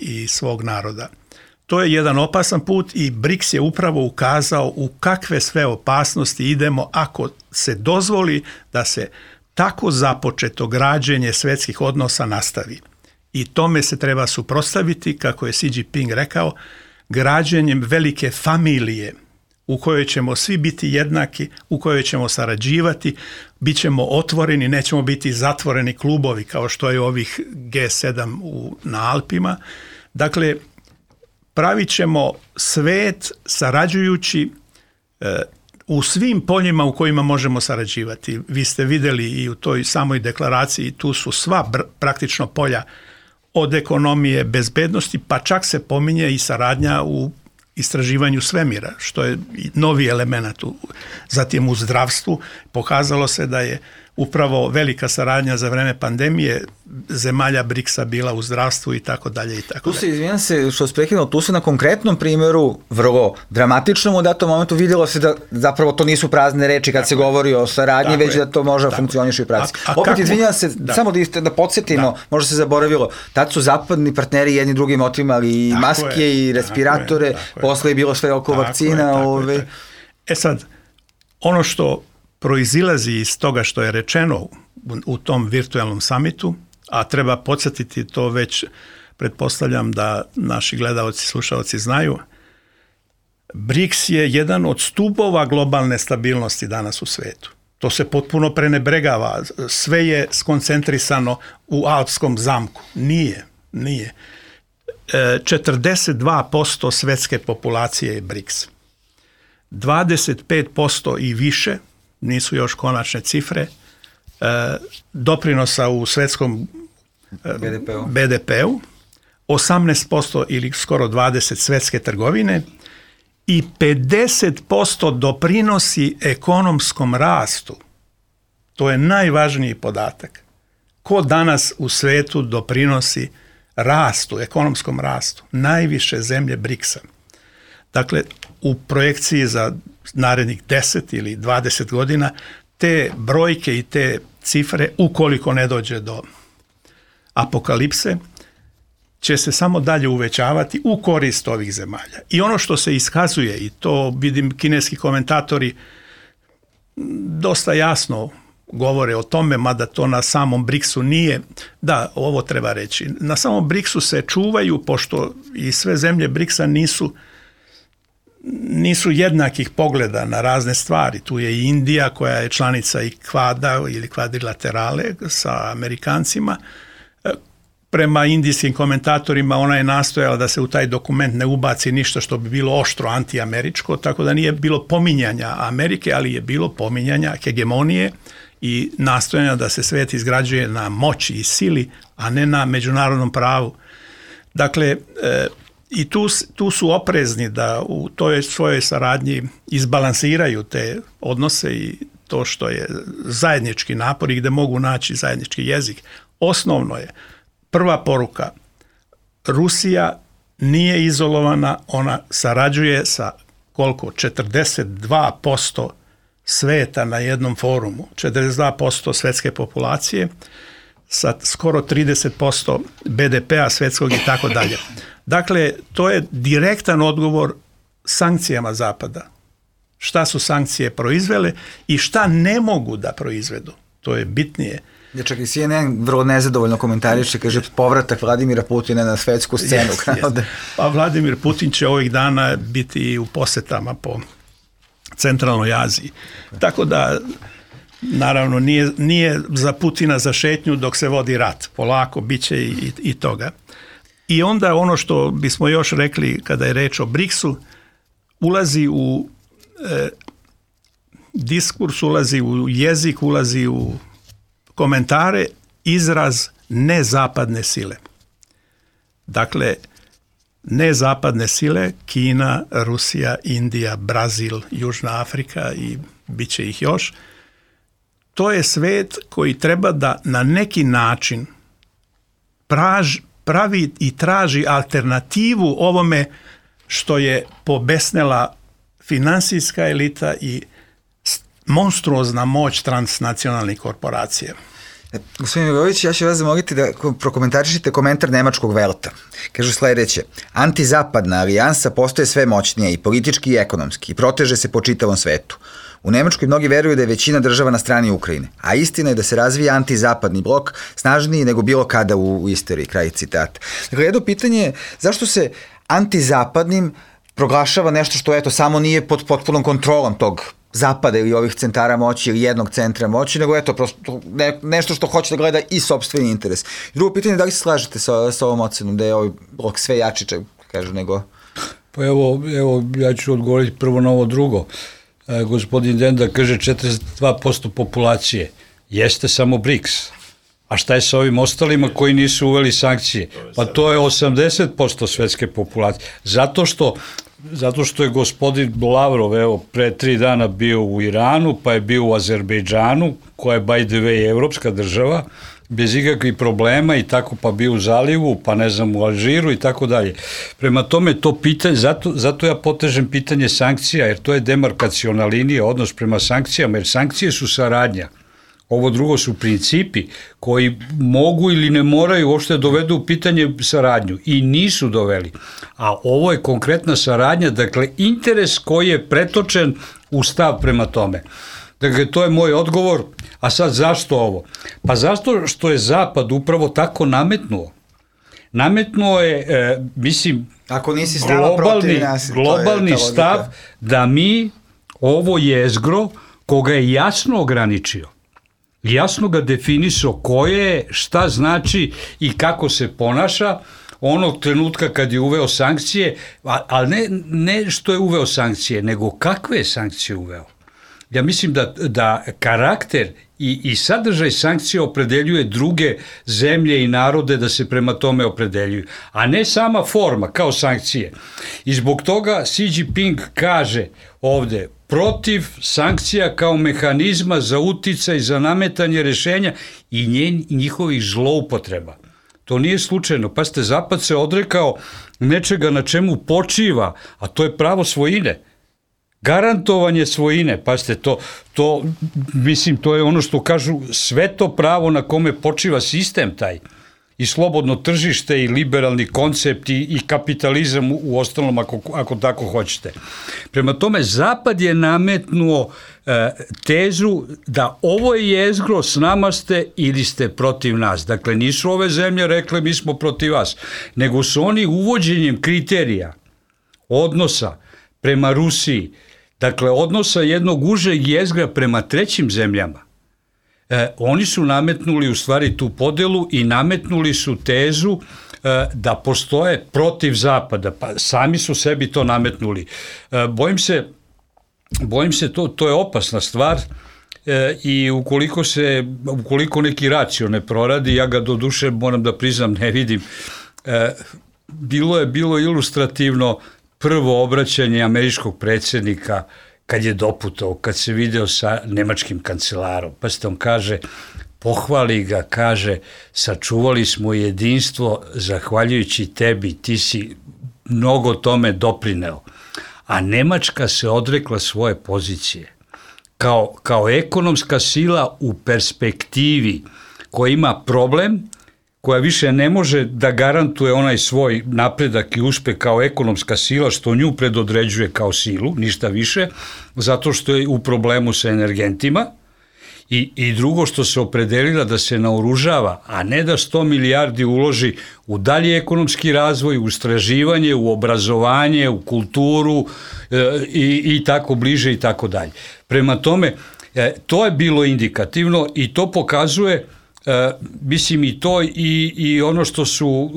i svog naroda. To je jedan opasan put i BRICS je upravo ukazao u kakve sve opasnosti idemo ako se dozvoli da se tako započeto građenje svjetskih odnosa nastavi. I tome se treba suprotstaviti, kako je Xi Jinping rekao, građenjem velike familije u kojoj ćemo svi biti jednaki, u kojoj ćemo sarađivati, bit ćemo otvoreni, nećemo biti zatvoreni klubovi kao što je ovih G7 na Alpima. Dakle, pravit ćemo svet sarađujući u svim poljima u kojima možemo sarađivati. Vi ste vidjeli i u toj samoj deklaraciji, tu su sva praktično polja od ekonomije, bezbednosti, pa čak se pominje i saradnja u istraživanju svemira, što je novi element. Zatim u zdravstvu pokazalo se da je upravo velika saradnja za vreme pandemije zemalja BRICS-a bila u zdravstvu i tako dalje i tako dalje. Tu se, izvinjam se što se prekinuo, tu se na konkretnom primjeru, vrlo dramatičnom u datom momentu vidjelo se da zapravo to nisu prazne reči kad se govori o saradnji, već da to može funkcioniše i u praksi. Opet izvinjam se, samo da podsjetimo, možda se zaboravilo, tad su zapadni partneri jedni drugim otimali i maske i respiratore, posle je bilo sve oko vakcina. Sad, ono što proizilazi iz toga što je rečeno u tom virtualnom samitu, a treba podsjetiti to već, pretpostavljam da naši gledaoci, slušaoci znaju, BRICS je jedan od stubova globalne stabilnosti danas u svetu. To se potpuno prenebregava, sve je skoncentrisano u Alpskom zamku. Nije. 42% svetske populacije je BRICS. 25% i više, nisu još konačne cifre, doprinosa u svetskom BDP-u, 18% ili skoro 20% svetske trgovine i 50% doprinosi ekonomskom rastu. To je najvažniji podatak. Ko danas u svetu doprinosi rastu, ekonomskom rastu? Najviše zemlje BRICS-a. Dakle, u projekciji za narednih 10 ili 20 godina te brojke i te cifre, ukoliko ne dođe do apokalipse, će se samo dalje uvećavati u korist ovih zemalja. I ono što se iskazuje, i to vidim kineski komentatori dosta jasno govore o tome, mada to na samom BRICS-u nije, da, ovo treba reći, na samom BRICS-u se čuvaju, pošto i sve zemlje BRICS-a nisu jednakih pogleda na razne stvari. Tu je i Indija koja je članica i kvada ili kvadrilaterale sa Amerikancima. Prema indijskim komentatorima ona je nastojala da se u taj dokument ne ubaci ništa što bi bilo oštro antiameričko, tako da nije bilo pominjanja Amerike, ali je bilo pominjanja hegemonije i nastojanja da se svet izgrađuje na moći i sili, a ne na međunarodnom pravu. Dakle, i tu su oprezni da u toj svojoj saradnji izbalansiraju te odnose i to što je zajednički napor i gde mogu naći zajednički jezik. Osnovno je, prva poruka, Rusija nije izolovana, ona sarađuje sa koliko? 42% sveta na jednom forumu, 42% svetske populacije, sa skoro 30% BDP-a svetskog i tako dalje. Dakle, to je direktan odgovor sankcijama Zapada. Šta su sankcije proizvele i šta ne mogu da proizvedu. To je bitnije. Ja, čak i CNN vrlo nezadovoljno komentariše, kaže povratak Vladimira Putina na svetsku scenu. Yes. Pa Vladimir Putin će ovih dana biti u posetama po centralnoj Aziji. Tako da, naravno, nije za Putina za šetnju dok se vodi rat. Polako, bit će i toga. I onda ono što bismo još rekli kada je reč o BRICS-u, ulazi u diskurs, ulazi u jezik, ulazi u komentare izraz nezapadne sile. Dakle, nezapadne sile, Kina, Rusija, Indija, Brazil, Južna Afrika i bit će ih još, to je svet koji treba da na neki način pravi i traži alternativu ovome što je pobesnela finansijska elita i monstruozna moć transnacionalnih korporacija. Gospodin Milović, ja ću vas zamoliti da prokomentarišite komentar nemačkog Welta. Kažu sledeće: antizapadna alijansa postoje sve moćnija i politički i ekonomski i proteže se po čitavom svetu. U Nemačkoj mnogi veruju da je većina država na strani Ukrajine, a istina je da se razvija antizapadni blok snažniji nego bilo kada u istoriji, kraj citata. Dakle, jedno pitanje je zašto se antizapadnim proglašava nešto što eto samo nije pod potpunom kontrolom tog zapada ili ovih centara moći ili jednog centra moći, nego eto prosto nešto što hoće da gleda i sopstveni interes. Drugo pitanje je da li se slažete sa ovom ocenom da je ovaj blok sve jači, kažu, nego... Pa evo, ja ću odgovoriti prvo na ovo drugo. Gospodin Denda kaže 42% populacije. Jeste samo BRICS. A šta je sa ovim ostalima koji nisu uveli sankcije? Pa to je 80% svetske populacije. Zato što zato što je gospodin Lavrov, evo, pre 3 dana bio u Iranu, pa je bio u Azerbejdžanu, koja je, by the way, evropska država, bez ikakvih problema i tako, pa bio u Zalivu, pa ne znam, u Alžiru i tako dalje. Prema tome, to pitanje, zato ja potežem pitanje sankcija, jer to je demarkaciona linija, odnos prema sankcijama, jer sankcije su saradnja. Ovo drugo su principi koji mogu ili ne moraju uopšte dovedu u pitanje saradnju i nisu doveli. A ovo je konkretna saradnja, dakle interes koji je pretočen u stav prema tome. Dakle, to je moj odgovor. A sad zašto ovo? Pa zato što je Zapad upravo tako nametnuo. Nametnuo je, mislim, ako nisi stava protiv nas, globalni stav da mi ovo jezgro koga je jasno ograničio, jasno ga definisao ko je, šta znači i kako se ponaša onog trenutka kad je uveo sankcije, ali ne što je uveo sankcije, nego kakve je sankcije uveo. Ja mislim da karakter i sadržaj sankcije opredeljuje druge zemlje i narode da se prema tome opredeljuju, a ne sama forma kao sankcije. I zbog toga Xi Jinping kaže ovde protiv sankcija kao mehanizma za uticaj, za nametanje rešenja i njihovih zloupotreba. To nije slučajno. Pazite, Zapad se odrekao nečega na čemu počiva, a to je pravo svojine. Garantovanje svojine, pazite, mislim, to je ono što kažu sve to pravo na kome počiva sistem taj. I slobodno tržište i liberalni koncept i kapitalizam u ostalom ako tako hoćete. Prema tome, Zapad je nametnuo tezu da ovo je jezgro, s nama ste ili ste protiv nas. Dakle, nisu ove zemlje rekle mi smo protiv vas, nego su oni uvođenjem kriterija odnosa prema Rusiji, dakle odnosa jednog užeg jezgra prema trećim zemljama, oni su nametnuli u stvari tu podelu i nametnuli su tezu da postoje protiv Zapada, pa sami su sebi to nametnuli. Bojim se to je opasna stvar i ukoliko neki racio ne proradi, ja ga do duše moram da priznam ne vidim. Bilo ilustrativno prvo obraćanje američkog predsjednika kad je doputao, kad se video sa nemačkim kancelarom. Pa on kaže, pohvali ga, kaže, sačuvali smo jedinstvo zahvaljujući tebi, ti si mnogo tome doprineo. A Nemačka se odrekla svoje pozicije. Kao ekonomska sila u perspektivi koja ima problem, koja više ne može da garantuje onaj svoj napredak i uspeh kao ekonomska sila, što nju predodređuje kao silu, ništa više, zato što je u problemu sa energentima, i drugo što se opredelila da se naoružava, a ne da 100 milijardi uloži u dalji ekonomski razvoj, u istraživanje, u obrazovanje, u kulturu i tako bliže i tako dalje. Prema tome, to je bilo indikativno i to pokazuje mislim i to i ono što su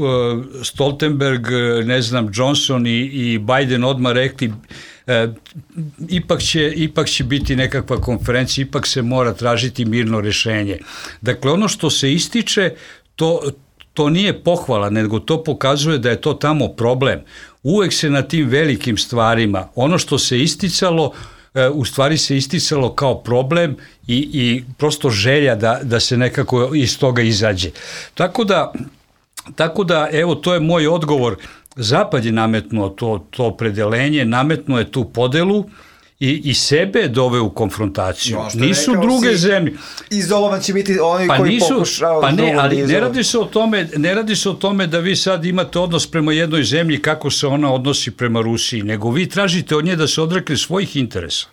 Stoltenberg, ne znam, Johnson i Biden odmah rekli, ipak će biti nekakva konferencija, ipak se mora tražiti mirno rešenje. Dakle, ono što se ističe, to nije pohvala, nego to pokazuje da je to tamo problem. Uvek se na tim velikim stvarima, ono što se isticalo, u stvari se isticalo kao problem i prosto želja da se nekako iz toga izađe. Tako da, evo, to je moj odgovor. Zapad je nametnuo to opredelenje, nametnuo je tu podelu i sebe doveo u konfrontaciju. Nisu druge zemlje. Izolovan će biti oni koji pokušavaju. Pa ne, ali ne radi se o tome da vi sad imate odnos prema jednoj zemlji kako se ona odnosi prema Rusiji, nego vi tražite od nje da se odrekne svojih interesa.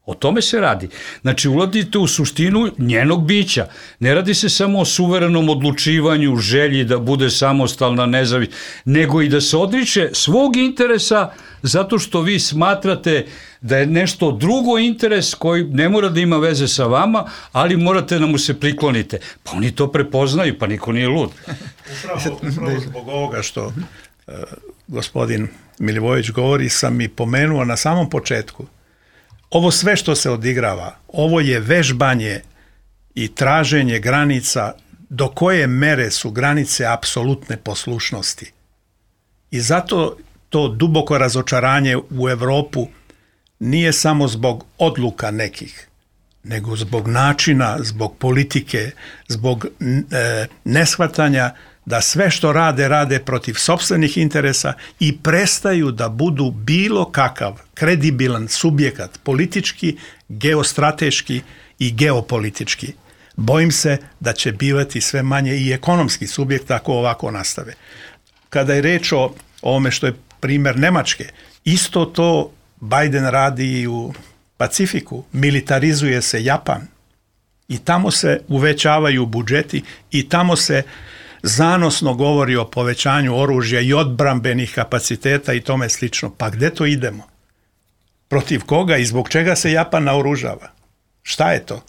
O tome se radi. Znači, ulazite u suštinu njenog bića. Ne radi se samo o suverenom odlučivanju, želji da bude samostalna, nezavisna, nego i da se odriče svog interesa zato što vi smatrate da je nešto drugo interes koji ne mora da ima veze sa vama, ali morate da mu se priklonite. Pa oni to prepoznaju, pa niko nije lud. Upravo zbog ovoga što gospodin Milivojević govori, sam i pomenuo na samom početku. Ovo sve što se odigrava, ovo je vežbanje i traženje granica do koje mere su granice apsolutne poslušnosti. I zato to duboko razočaranje u Evropu nije samo zbog odluka nekih, nego zbog načina, zbog politike, zbog neshvatanja da sve što rade protiv sopstvenih interesa i prestaju da budu bilo kakav kredibilan subjekat politički, geostrateški i geopolitički. Bojim se da će bivati sve manje i ekonomski subjekt ako ovako nastave. Kada je reč o ovome što je primjer Nemačke, isto to Biden radi i u Pacifiku, militarizuje se Japan i tamo se uvećavaju budžeti i tamo se zanosno govori o povećanju oružja i odbrambenih kapaciteta i tome slično. Pa gde to idemo? Protiv koga i zbog čega se Japan naoružava? Šta je to?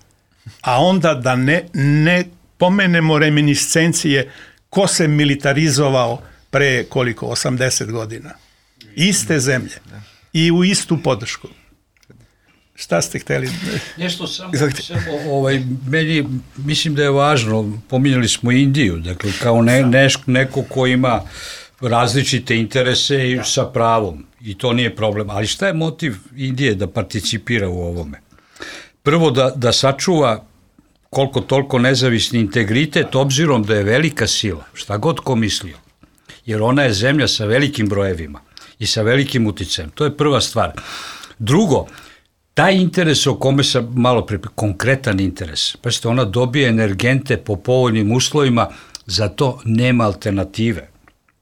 A onda da ne pomenemo reminiscencije ko se militarizovao pre koliko? 80 godina. Iste zemlje i u istu podršku. Šta ste htjeli? Nešto samo meni mislim da je važno, pominjali smo Indiju, dakle kao neko ko ima različite interese i sa pravom i to nije problem, ali šta je motiv Indije da participira u ovome? Prvo da sačuva koliko toliko nezavisni integritet obzirom da je velika sila, šta god ko mislio, jer ona je zemlja sa velikim brojevima i sa velikim uticajem, to je prva stvar. Drugo, taj interes o kome sam malo konkretan interes, pa što ona dobije energente po povoljnim uslovima, za to nema alternative.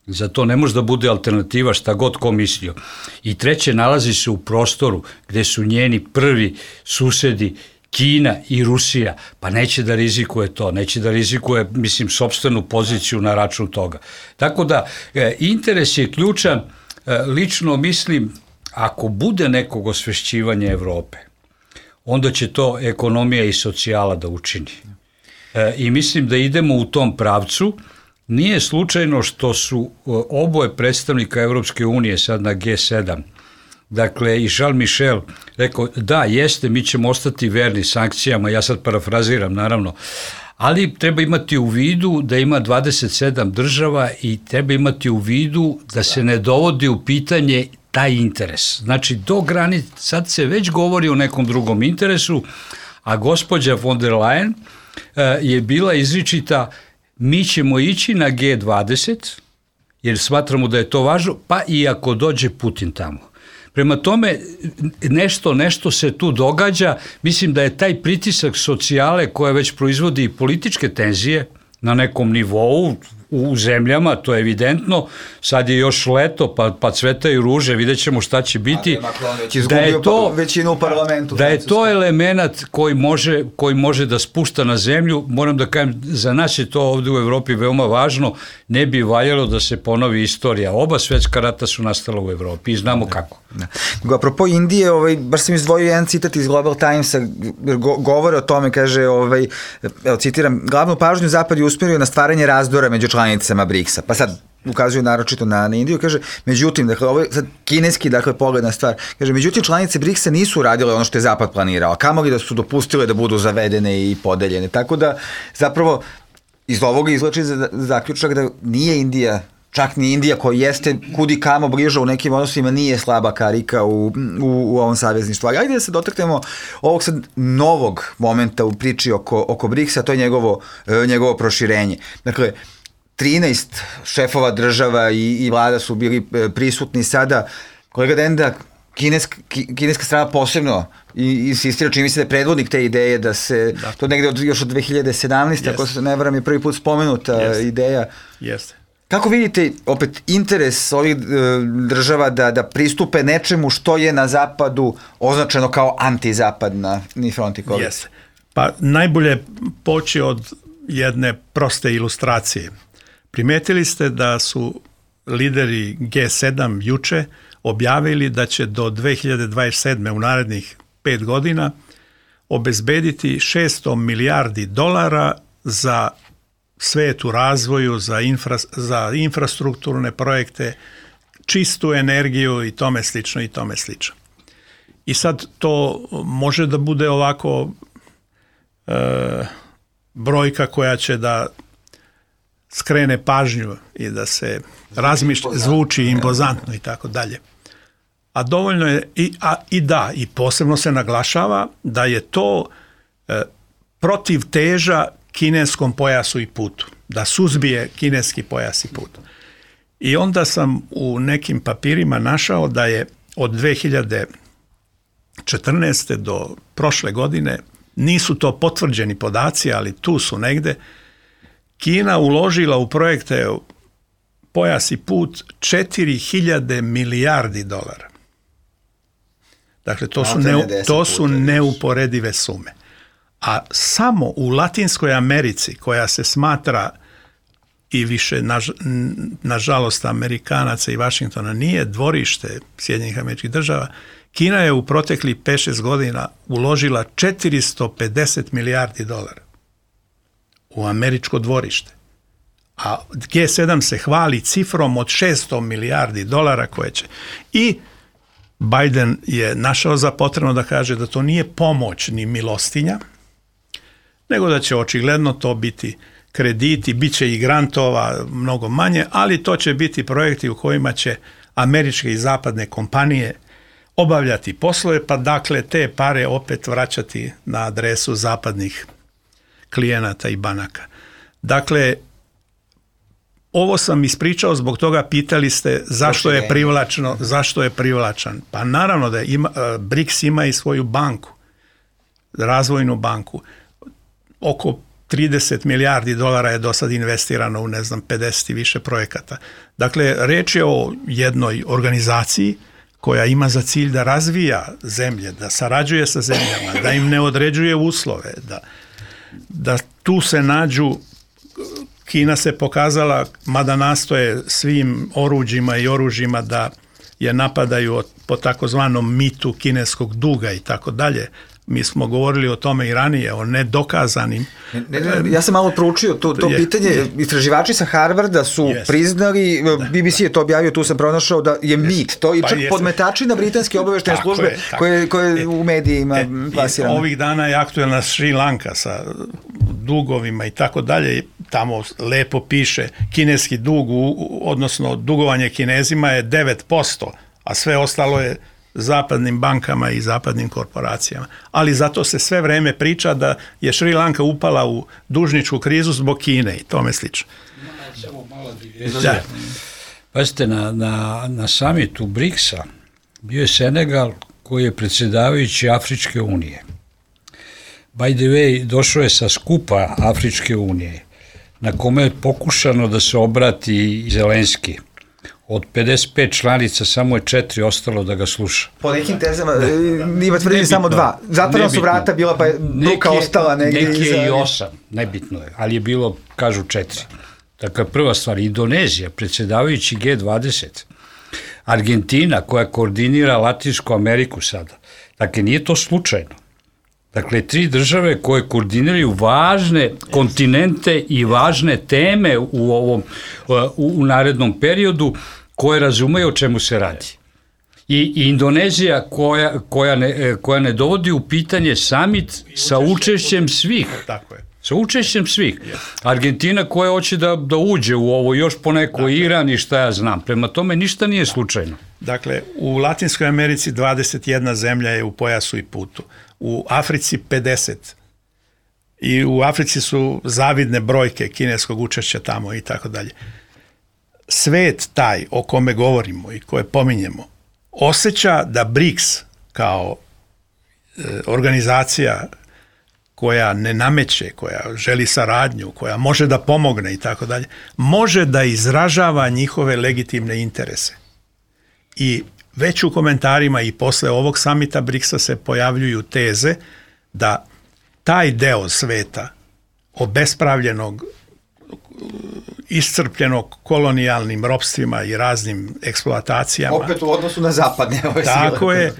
Za to ne može da bude alternativa šta god ko mislio. I treće, nalazi se u prostoru gde su njeni prvi susedi Kina i Rusija, pa neće da rizikuje to, neće da rizikuje, sopstvenu poziciju na račun toga. Tako da, interes je ključan, lično mislim, ako bude nekog osvešćivanja Evrope, onda će to ekonomija i socijala da učini. I mislim da idemo u tom pravcu. Nije slučajno što su oboje predstavnika Evropske unije sad na G7, dakle i Charles Michel rekao da jeste, mi ćemo ostati verni sankcijama, ja sad parafraziram naravno, ali treba imati u vidu da ima 27 država i treba imati u vidu da se ne dovodi u pitanje taj interes. Znači, do granice, sad se već govori o nekom drugom interesu, a gospođa von der Leyen je bila izričita, mi ćemo ići na G20, jer smatramo da je to važno, pa i ako dođe Putin tamo. Prema tome, nešto se tu događa, mislim da je taj pritisak socijale koja već proizvodi političke tenzije na nekom nivou, u zemljama, to je evidentno, sad je još leto, pa cvetaju ruže, vidjet ćemo šta će biti, da je to element koji može da spušta na zemlju. Moram da kažem, za nas je to ovdje u Evropi veoma važno, ne bi valjalo da se ponovi istorija. Oba svetska rata su nastala u Evropi i znamo kako. Apropo Indije, baš sam izdvojio jedan citat iz Global Timesa, govore o tome, kaže, citiram, glavnu pažnju Zapad je usmjerio na stvaranje razdora među članicama BRICS-a, pa sad ukazuju naročito na Indiju, kaže, međutim, dakle, ovo je sad kineski, dakle, pogledna stvar, kaže, međutim, članice BRICS-a nisu radile ono što je Zapad planirao, kamoli da su dopustile da budu zavedene i podeljene, tako da, zapravo, iz ovoga izlači zaključak da nije Indija, čak ni Indija koja jeste kudi kamo bliža u nekim odnosima, nije slaba karika u ovom savezništvu. Ali ajde da se dotaknemo ovog sad novog momenta u priči oko BRICS-a, to je njegovo proširenje. Dakle, 13 šefova država i vlada su bili prisutni sada. Kolega Denda, kineska strana posebno insistira, čini mi se da je predvodnik te ideje da se, to negde još od 2017. Ako se ne varam je prvi put spomenuta ideja. Jeste. Kako vidite, opet, interes ovih država da pristupe nečemu što je na zapadu označeno kao antizapadni front i koalicija? Jeste. Pa najbolje poći od jedne proste ilustracije. Primetili ste da su lideri G7 juče objavili da će do 2027. u narednih 5 godina obezbediti $600 milijardi za svet u razvoju, za infrastrukturne projekte, čistu energiju i tome slično i tome slično. I sad to može da bude ovako brojka koja će da skrene pažnju i da se razmišlja, zvuči impozantno i tako dalje. A dovoljno je i posebno se naglašava da je to protiv teža kineskom pojasu i putu, da suzbije kineski pojas i put. I onda sam u nekim papirima našao da je od 2014. do prošle godine, nisu to potvrđeni podaci, ali tu su negde, Kina uložila u projekte pojas i put 4000 milijardi dolara. Dakle, to su neuporedive sume. A samo u Latinskoj Americi, koja se smatra i više, nažalost, Amerikanaca i Vašingtona nije dvorište Sjedinjenih Američkih Država, Kina je u proteklih 5-6 godina uložila 450 milijardi dolara u američko dvorište. A G7 se hvali cifrom od 600 milijardi dolara koje će. I Biden je našao za potrebno da kaže da to nije pomoć ni milostinja, nego da će očigledno to biti krediti, bit će i grantova mnogo manje, ali to će biti projekti u kojima će američke i zapadne kompanije obavljati poslove, pa dakle te pare opet vraćati na adresu zapadnih klijenata i banaka. Dakle, ovo sam ispričao zbog toga, pitali ste zašto je privlačan. Pa naravno da BRICS ima i svoju banku, razvojnu banku. Oko 30 milijardi dolara je do sad investirano u 50 i više projekata. Dakle, reč je o jednoj organizaciji koja ima za cilj da razvija zemlje, da sarađuje sa zemljama, da im ne određuje uslove, da tu se nađu. Kina se pokazala, mada nastoje svim oruđima i oružjima da je napadaju po takozvanom mitu kineskog duga i tako dalje. Mi smo govorili o tome i ranije, o nedokazanim. Ja sam malo proučio to pitanje. Istraživači sa Harvarda su priznali, BBC je to objavio, tu sam pronašao da je mit. To i čak podmetači na britanske obaveštajne službe koje u medijima plasirano. Ovih dana je aktuelna Šri Lanka sa dugovima i tako dalje. Tamo lepo piše kineski dug, odnosno dugovanje Kinezima je 9%, a sve ostalo je zapadnim bankama i zapadnim korporacijama. Ali zato se sve vreme priča da je Šri Lanka upala u dužničku krizu zbog Kine i tome slično. Pazite, na samitu BRICS-a bio je Senegal koji je predsjedavajući Afričke unije. By the way, došao je sa skupa Afričke unije na kome je pokušano da se obrati Zelenski. Od 55 članica samo je 4 ostalo da ga sluša. Po nekim tezama ima tvrdili samo 2. Zatvorena su vrata bila, pa je bruka ostala negdje. Neki je i 8, nebitno je, ali je bilo, kažu 4. Dakle, prva stvar, Indonezija, predsjedavajući G20, Argentina koja koordinira Latinsku Ameriku sada. Dakle, nije to slučajno. Dakle, 3 države koje koordiniraju važne kontinente i važne teme u narednom periodu, koje razumeju o čemu se radi. I Indonezija koja ne dovodi u pitanje samit sa učešćem svih. Tako je. Sa učešćem svih. Argentina koja hoće da uđe u ovo, još poneko Iran i šta ja znam. Prema tome ništa nije slučajno. Dakle, u Latinskoj Americi 21 zemlja je u pojasu i putu. U Africi 50. I u Africi su zavidne brojke kineskog učešća tamo i tako dalje. Svet taj o kome govorimo i koje pominjemo osjeća da BRICS kao organizacija koja ne nameće, koja želi saradnju, koja može da pomogne i tako dalje, može da izražava njihove legitimne interese. I već u komentarima i posle ovog samita BRICS-a se pojavljuju teze da taj deo sveta obespravljenog, iscrpljenog kolonijalnim ropstvima i raznim eksploatacijama. Opet u odnosu na zapadne ove sile. Tako je.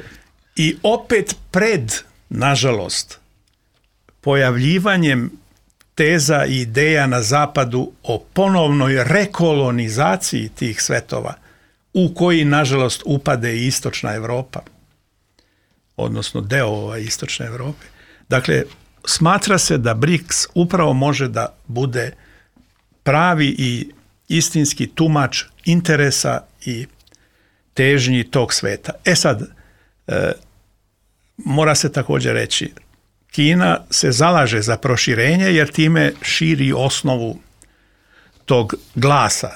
I opet pred, nažalost, pojavljivanjem teza i ideja na zapadu o ponovnoj rekolonizaciji tih svetova, u koji, nažalost, upade i istočna Evropa, odnosno deo istočne Evrope. Dakle, smatra se da BRICS upravo može da bude pravi i istinski tumač interesa i težnji tog sveta. Sad, mora se također reći, Kina se zalaže za proširenje jer time širi osnovu tog glasa,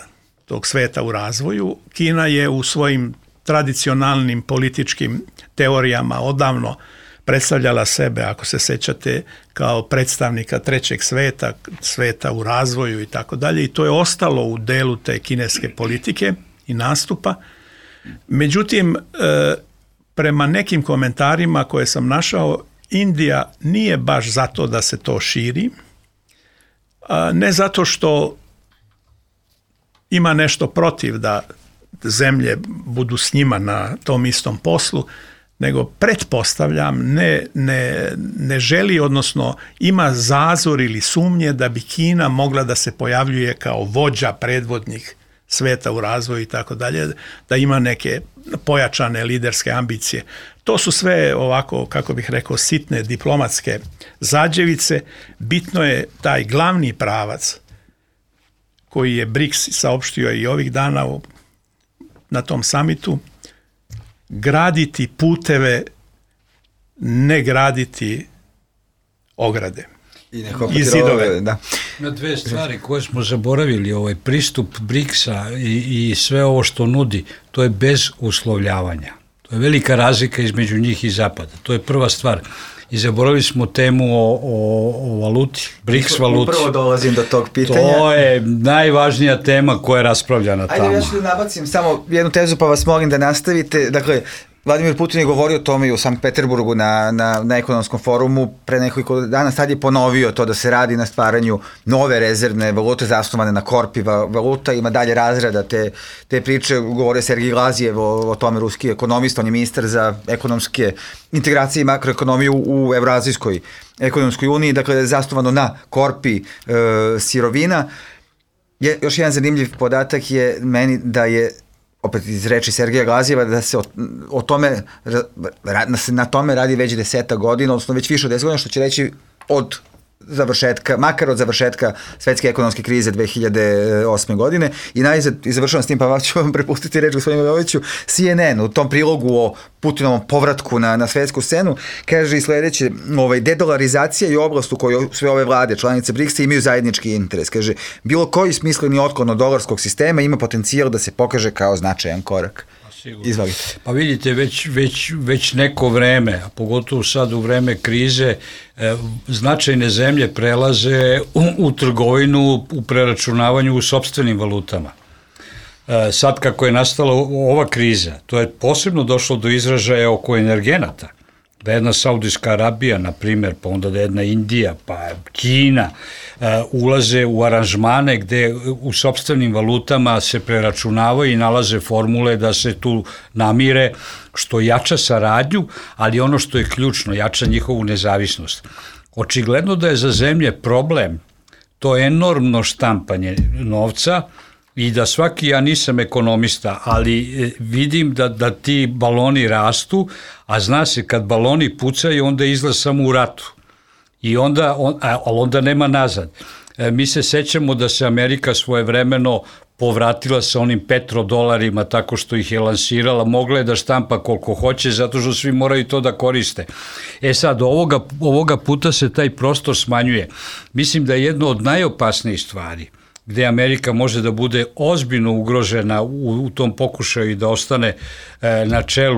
tog sveta u razvoju. Kina je u svojim tradicionalnim političkim teorijama odavno predstavljala sebe, ako se sećate, kao predstavnika trećeg sveta, sveta u razvoju i tako dalje, i to je ostalo u delu te kineske politike i nastupa. Međutim, prema nekim komentarima koje sam našao, Indija nije baš zato da se to širi, ne zato što ima nešto protiv da zemlje budu s njima na tom istom poslu, nego pretpostavljam ne želi, odnosno ima zazor ili sumnje da bi Kina mogla da se pojavljuje kao vođa, predvodnik sveta u razvoju i tako dalje, da ima neke pojačane liderske ambicije. To su sve ovako, kako bih rekao, sitne diplomatske zađevice. Bitno je taj glavni pravac koji je BRICS saopštio i ovih dana na tom samitu, graditi puteve, ne graditi ograde i zidove. Da. Na dve stvari koje smo zaboravili, pristup BRICS-a i sve ovo što nudi, to je bez uslovljavanja. To je velika razlika između njih i Zapada. To je prva stvar. I zaboravili smo temu o valuti, BRICS valuti. Upravo dolazim do tog pitanja. To je najvažnija tema koja je raspravljana tamo. Ajde, ja ću nabacim samo jednu tezu, pa vas molim da nastavite. Dakle, Vladimir Putin je govorio o tome i u Sankt Peterburgu na ekonomskom forumu pre nekoliko dana. Sad je ponovio to da se radi na stvaranju nove rezervne valute zasnovane na korpi valuta. Ima dalje razrada te priče. Govorio Sergij Glazijev o tome, ruski ekonomista, on je ministar za ekonomske integracije i makroekonomiju u Evroazijskoj ekonomskoj uniji. Dakle, zasnovano na korpi sirovina. Još jedan zanimljiv podatak je meni da je, opet iz reči Sergeja Glazijeva, da se na tome radi već 10 godina, odnosno već više od 10 godina, što će reći od završetka, makar od završetka svetske ekonomske krize 2008. godine. I najzad, i završavam s tim, pa ću vam prepustiti reč gospodinu Miloviću, CNN u tom prilogu o Putinovom povratku na svetsku scenu kaže i sledeće, dedolarizacija je oblast u kojoj sve ove vlade, članice BRICS-a, imaju zajednički interes. Kaže, bilo koji smisleni otklon od dolarskog sistema ima potencijal da se pokaže kao značajan korak. Izvalite. Pa vidite, već neko vreme, a pogotovo sad u vreme krize, značajne zemlje prelaze u trgovinu, u preračunavanju u sopstvenim valutama. Sad kako je nastala ova kriza, to je posebno došlo do izražaja oko energenata. Da jedna Saudijska Arabija, na primjer, pa onda da jedna Indija, pa Kina, ulaze u aranžmane gde u sopstvenim valutama se preračunavaju i nalaze formule da se tu namire, što jača saradnju, ali ono što je ključno, jača njihovu nezavisnost. Očigledno da je za zemlje problem to enormno štampanje novca, i da svaki, ja nisam ekonomista, ali vidim da ti baloni rastu, a zna se kad baloni pucaju, onda izlaz samo u ratu. I onda nema nazad. Mi se sećamo da se Amerika svojevremeno povratila sa onim petrodolarima tako što ih je lansirala, mogla je da štampa koliko hoće, zato što svi moraju to da koriste. Sad, ovoga puta se taj prostor smanjuje. Mislim da je jedno od najopasnijih stvari gde Amerika može da bude ozbiljno ugrožena u tom pokušaju i da ostane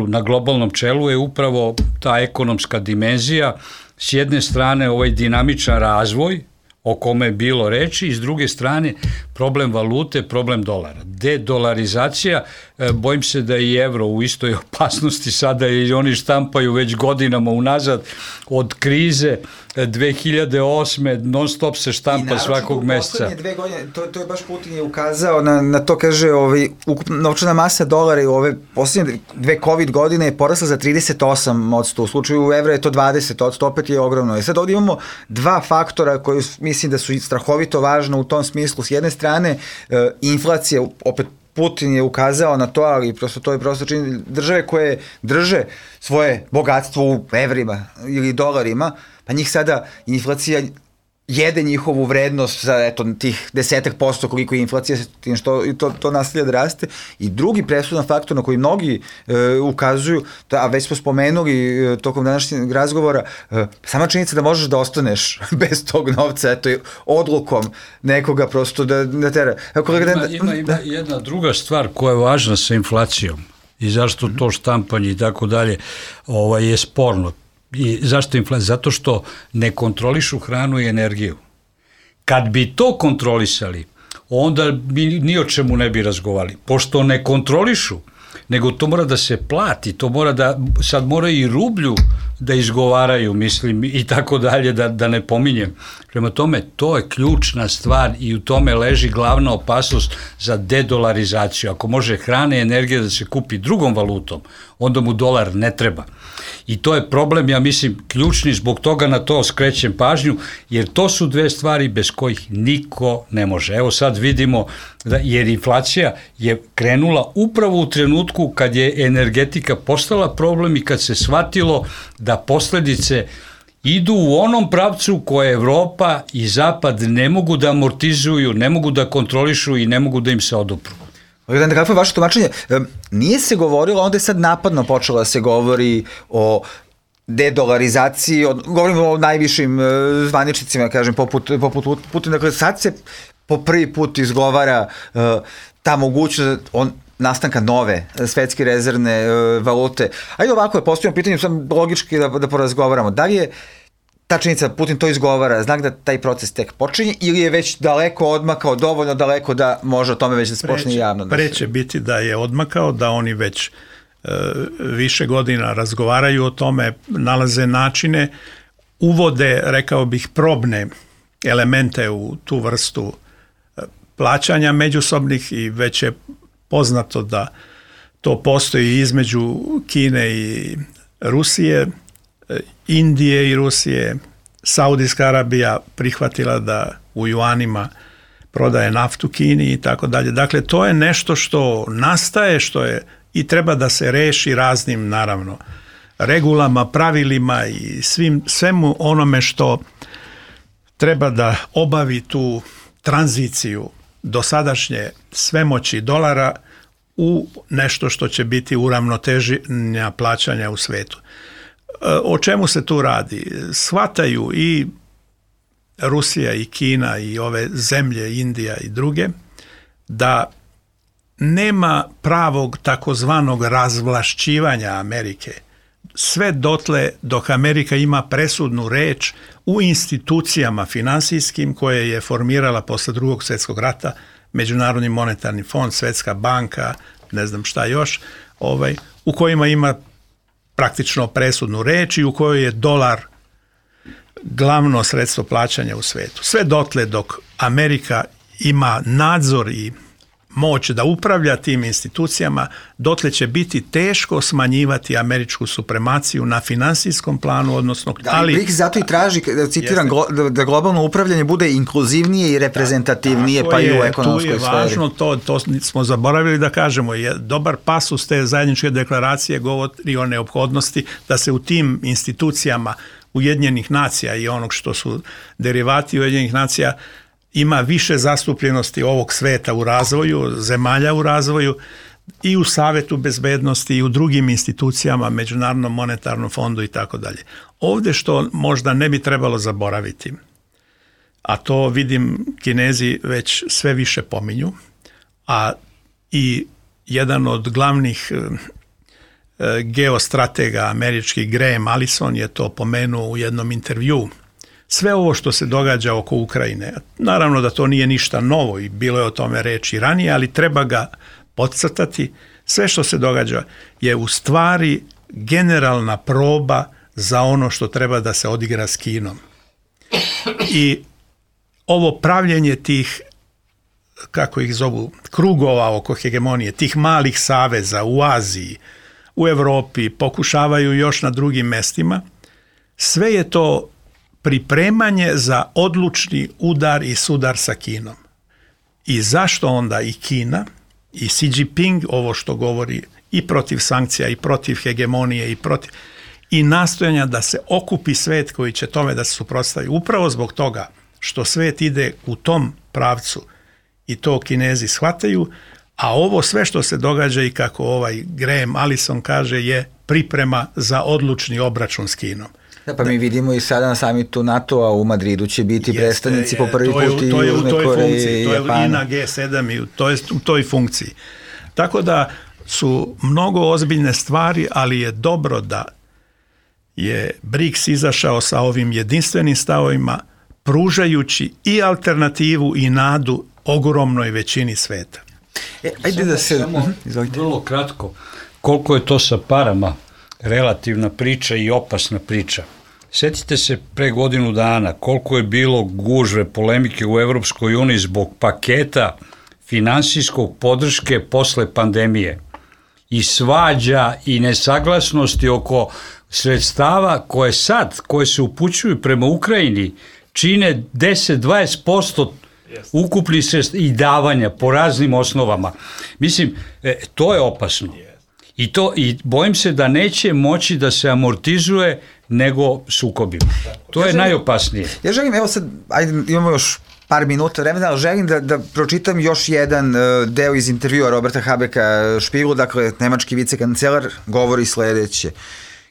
na globalnom čelu, je upravo ta ekonomska dimenzija. S jedne strane ovaj dinamičan razvoj o kome je bilo reči, i s druge strane problem valute, problem dolara. Dedolarizacija, bojim se da i evro u istoj opasnosti sada, i oni štampaju već godinama unazad od krize 2008. non stop se štampa svakog meseca. I naravno, u poslednje 2 godine, to je baš Putin je ukazao na to, kaže, ukupna novčana masa dolara i ove poslednje 2 COVID godine je porasla za 38%, u slučaju evra je to 20%, opet je ogromno. Sad ovdje imamo 2 faktora koji mislim da su strahovito važno u tom smislu. S jedne strane, inflacija, opet Putin je ukazao na to, ali prosto to je prosto čini, države koje drže svoje bogatstvo u evrima ili dolarima, pa njih sada inflacija jede njihovu vrednost za tih 10% koliko je inflacija, tim što to nastavlja da raste. I drugi presudan faktor na koji mnogi ukazuju, a već smo spomenuli tokom današnjeg razgovora, sama činjenica da možeš da ostaneš bez tog novca, odlukom nekoga prosto da tera. Ima jedna druga stvar koja je važna sa inflacijom i zašto to štampanje i tako dalje je sporno. I zašto inflacija? Zato što ne kontrolišu hranu i energiju. Kad bi to kontrolisali, onda bi ni o čemu ne bi razgovarali. Pošto ne kontrolišu, nego to mora da se plati, to mora da, sad mora i rublju da izgovaraju, mislim, i tako dalje, da ne pominjem. Prema tome, to je ključna stvar i u tome leži glavna opasnost za dedolarizaciju. Ako može hrana i energija da se kupi drugom valutom, onda mu dolar ne treba. I to je problem, ja mislim, ključni, zbog toga na to skrećem pažnju, jer to su dve stvari bez kojih niko ne može. Evo sad vidimo, jer inflacija je krenula upravo u trenutku kad je energetika postala problem i kad se shvatilo da posledice idu u onom pravcu koje Evropa i Zapad ne mogu da amortizuju, ne mogu da kontrolišu i ne mogu da im se odupru. Kako je vaše tumačenje? Nije se govorilo, onda je sad napadno počelo da se govori o dedolarizaciji, govorimo o najvišim zvaničnicima, kažem, poput Putina. Dakle, sad se po prvi put izgovara ta mogućnost nastanka nove svetske rezervne valute. Ajde ovako, postavljamo pitanje, sam logički da porazgovaramo. Da li je ta činjenica, Putin to izgovara, znak da taj proces tek počinje ili je već daleko odmakao, dovoljno daleko da može o tome već da se počne javno? Preće biti da je odmakao, da oni već više godina razgovaraju o tome, nalaze načine, uvode, rekao bih, probne elemente u tu vrstu plaćanja međusobnih i već je poznato da to postoji između Kine i Rusije, Indije i Rusije. Saudijska Arabija prihvatila da u juanima prodaje naftu Kini i tako dalje. Dakle, to je nešto što nastaje, što je i treba da se reši raznim, naravno, regulama, pravilima i svemu onome što treba da obavi tu tranziciju dosadašnje svemoći dolara u nešto što će biti uravnoteženja plaćanja u svetu. O čemu se tu radi? Shvataju i Rusija i Kina i ove zemlje, Indija i druge, da nema pravog takozvanog razvlašćivanja Amerike. Sve dotle dok Amerika ima presudnu reč u institucijama finansijskim koje je formirala posle Drugog svjetskog rata, Međunarodni monetarni fond, Svetska banka, ne znam šta još, u kojima ima praktično presudnu reč i u kojoj je dolar glavno sredstvo plaćanja u svetu. Sve dotle dok Amerika ima nadzor i moć da upravlja tim institucijama, dotle će biti teško smanjivati američku supremaciju na finansijskom planu, odnosno... Ali BRICS zato i traži, citiram, da globalno upravljanje bude inkluzivnije i reprezentativnije, pa i u ekonomskoj sferi. Tu je važno, to smo zaboravili da kažemo, dobar pasus te zajedničke deklaracije govori o neophodnosti da se u tim institucijama Ujedinjenih nacija i onog što su derivati Ujedinjenih nacija ima više zastupljenosti ovog sveta u razvoju, zemalja u razvoju i u Savetu bezbednosti i u drugim institucijama, Međunarodnom monetarnom fondu i tako dalje. Ovdje što možda ne bi trebalo zaboraviti, a to vidim Kinezi već sve više pominju, a i jedan od glavnih geostratega američkih, Graham Allison, je to pomenuo u jednom intervjuu. Sve ovo što se događa oko Ukrajine, naravno da to nije ništa novo i bilo je o tome reči ranije, ali treba ga podcrtati. Sve što se događa je u stvari generalna proba za ono što treba da se odigra s Kinom. I ovo pravljenje tih, kako ih zovu, krugova oko hegemonije, tih malih saveza u Aziji, u Evropi, pokušavaju još na drugim mestima, sve je to pripremanje za odlučni udar i sudar sa Kinom. I zašto onda i Kina i Xi Jinping ovo što govori i protiv sankcija i protiv hegemonije i nastojanja da se okupi svet koji će tome da se suprotstavi. Upravo zbog toga što svet ide u tom pravcu i to Kinezi shvataju, a ovo sve što se događa i kako ovaj Graham Allison kaže je priprema za odlučni obračun s Kinom. Da, pa mi vidimo i sada na samitu NATO-a u Madridu će biti predstavnici po prvi put i Južne Koreje i Japana. To je i na G7 i to je u toj funkciji. Tako da su mnogo ozbiljne stvari, ali je dobro da je BRICS izašao sa ovim jedinstvenim stavovima, pružajući i alternativu i nadu ogromnoj većini sveta. Ajde da se... Samo vrlo kratko, koliko je to sa parama relativna priča i opasna priča. Sjetite se pre godinu dana koliko je bilo gužve, polemike u Evropskoj uniji zbog paketa finansijskog podrške posle pandemije i svađa i nesaglasnosti oko sredstava koje se upućuju prema Ukrajini čine 10-20% ukupni sredstva i davanja po raznim osnovama. Mislim, to je opasno. I bojim se da neće moći da se amortizuje nego sukobima. To je najopasnije. Ja želim, evo sad, ajde, imamo još par minuta vremena, ali želim da pročitam još jedan deo iz intervjua Roberta Habecka Špiglu, dakle, nemački vicekancelar, govori sledeće.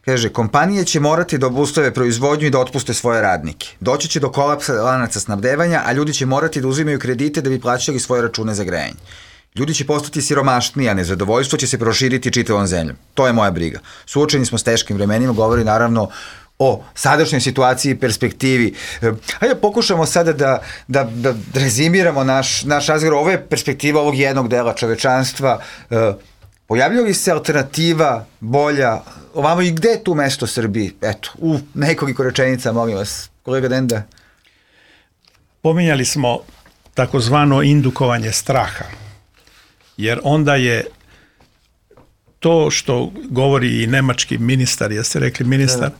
Kaže, kompanije će morati da obustave proizvodnju i da otpuste svoje radnike. Doći će do kolapsa lanaca snabdevanja, a ljudi će morati da uzimaju kredite da bi plaćali svoje račune za grejanje. Ljudi će postati siromašniji, a nezadovoljstvo će se proširiti čitavom zemljom. To je moja briga. Suočeni smo s teškim vremenima, govori naravno o sadašnjoj situaciji i perspektivi. Hajde pokušamo sada da rezimiramo naš razgovor. Ovo je perspektiva ovog jednog dela čovečanstva. Pojavlja li se alternativa bolja ovamo i gde je tu mesto Srbiji? Eto, u nekoliko rečenica, molim vas. Kolega Denda. Pominjali smo takozvano indukovanje straha, jer onda je to što govori i nemački ministar, jeste rekli ministar,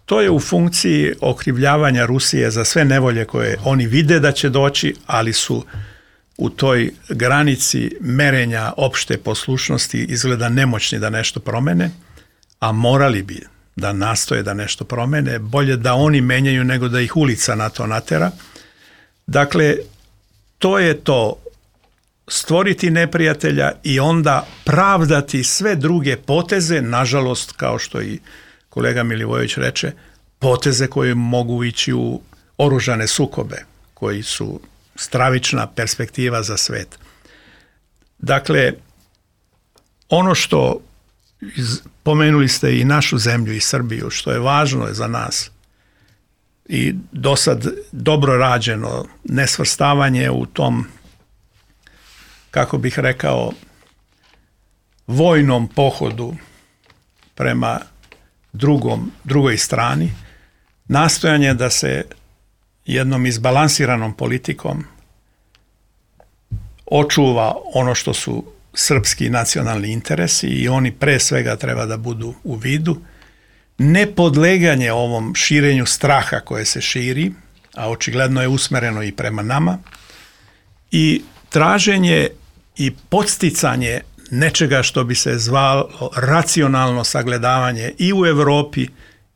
to je u funkciji okrivljavanja Rusije za sve nevolje koje oni vide da će doći, ali su u toj granici merenja opšte poslušnosti izgleda nemoćni da nešto promene, a morali bi da nastoje da nešto promene, bolje da oni menjaju nego da ih ulica na to natera. Dakle, to je to, stvoriti neprijatelja i onda pravdati sve druge poteze, nažalost, kao što i kolega Milivojević reče, poteze koje mogu ići u oružane sukobe, koji su stravična perspektiva za svet. Dakle, ono što pomenuli ste i našu zemlju i Srbiju, što je važno za nas i do sad dobro rađeno, nesvrstavanje u tom, kako bih rekao, vojnom pohodu prema drugoj strani, nastojanje da se jednom izbalansiranom politikom očuva ono što su srpski nacionalni interesi i oni pre svega treba da budu u vidu, nepodleganje ovom širenju straha koje se širi, a očigledno je usmereno i prema nama, i traženje i podsticanje nečega što bi se zvalo racionalno sagledavanje i u Evropi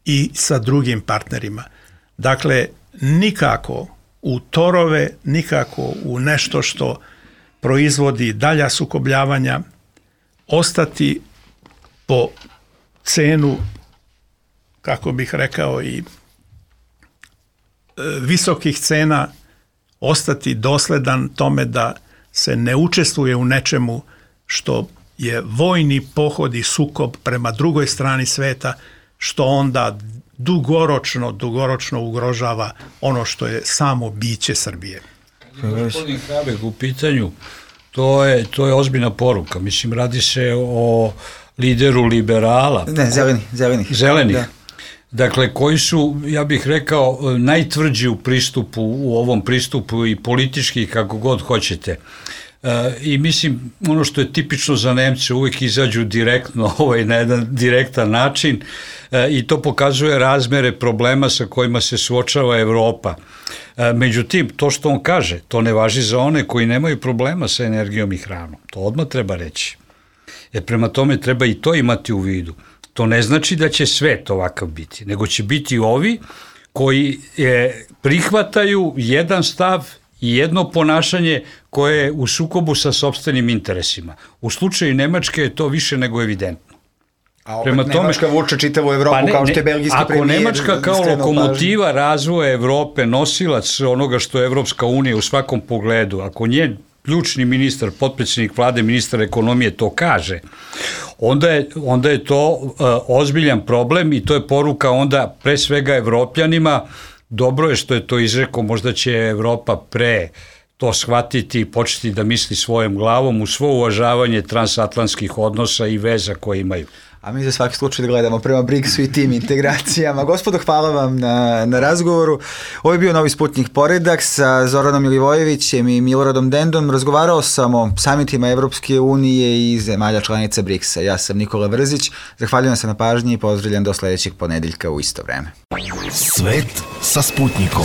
i sa drugim partnerima. Dakle, nikako u torove, nikako u nešto što proizvodi dalja sukobljavanja, ostati po cenu, kako bih rekao, i visokih cena, ostati dosledan tome da se ne učestvuje u nečemu što je vojni pohod i sukob prema drugoj strani sveta, što onda dugoročno ugrožava ono što je samo biće Srbije. Gospodin Habek u pitanju, to je ozbiljna poruka. Mislim, radi se o lideru liberala. Ne, zelenih. Da. Dakle, koji su, ja bih rekao, najtvrđi u ovom pristupu i politički, kako god hoćete. I mislim, ono što je tipično za Nemce, uvijek izađu direktno na jedan direktan način i to pokazuje razmere problema sa kojima se suočava Evropa. Međutim, to što on kaže, to ne važi za one koji nemaju problema sa energijom i hranom. To odmah treba reći. Jer prema tome treba i to imati u vidu. To ne znači da će svet ovakav biti, nego će biti ovi koji prihvataju jedan stav i jedno ponašanje koje je u sukobu sa sopstvenim interesima. U slučaju Nemačke je to više nego evidentno. A opet Nemačka vuče čitavu Evropu kao što je belgijski premijer. Ako Nemačka kao lokomotiva razvoja Evrope, nosilac onoga što je Evropska unija u svakom pogledu, ako njen ključni ministar, potpredsjednik vlade, ministar ekonomije to kaže, onda je to ozbiljan problem i to je poruka onda pre svega Evropljanima. Dobro je što je to izrekao, možda će Evropa pre to shvatiti i početi da misli svojom glavom u svo uvažavanje transatlantskih odnosa i veza koje imaju. A mi za svaki slučaj gledamo prema BRICS-u i tim integracijama. Gospodo, hvala vam na razgovoru. Ovo je bio Novi Sputnik Poredak sa Zoranom Milivojevićem i Miloradom Dendom. Razgovarao sam o samitima Evropske unije i zemalja članica BRICS-a. Ja sam Nikola Vrzić. Zahvaljujem se na pažnji i pozdravljam do sledećeg ponedeljka u isto vreme. Svet sa Sputnikom.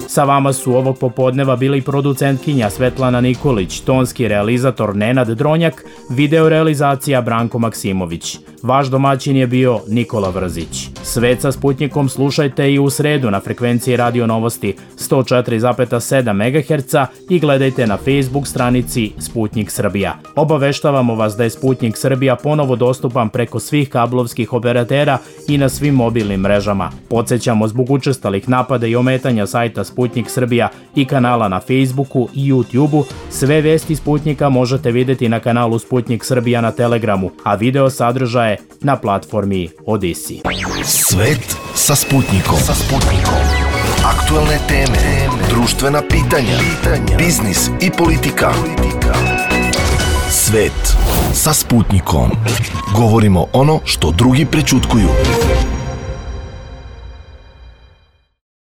Sa vama su ovog popodneva bili producentkinja Svetlana Nikolić, tonski realizator Nenad Dronjak, video realizacija Branko Maksimović. Vaš domaćin je bio Nikola Vrzić. Svet sa Sputnikom slušajte i u sredu na frekvenciji Radio Novosti 104,7 MHz i gledajte na Facebook stranici Sputnik Srbija. Obaveštavamo vas da je Sputnik Srbija ponovo dostupan preko svih kablovskih operatera i na svim mobilnim mrežama. Podsećamo zbog učestalih napada i ometanja sajta Sputnik Srbija i kanala na Facebooku i YouTubeu, sve vesti Sputnika možete videti na kanalu Sputnik Srbija na Telegramu, a video sadržaje na platformi Odisi. Svet sa Sputnikom. Aktuelne teme, društvena pitanja, biznis i politika. Svet sa Sputnikom. Govorimo ono što drugi prećutkuju.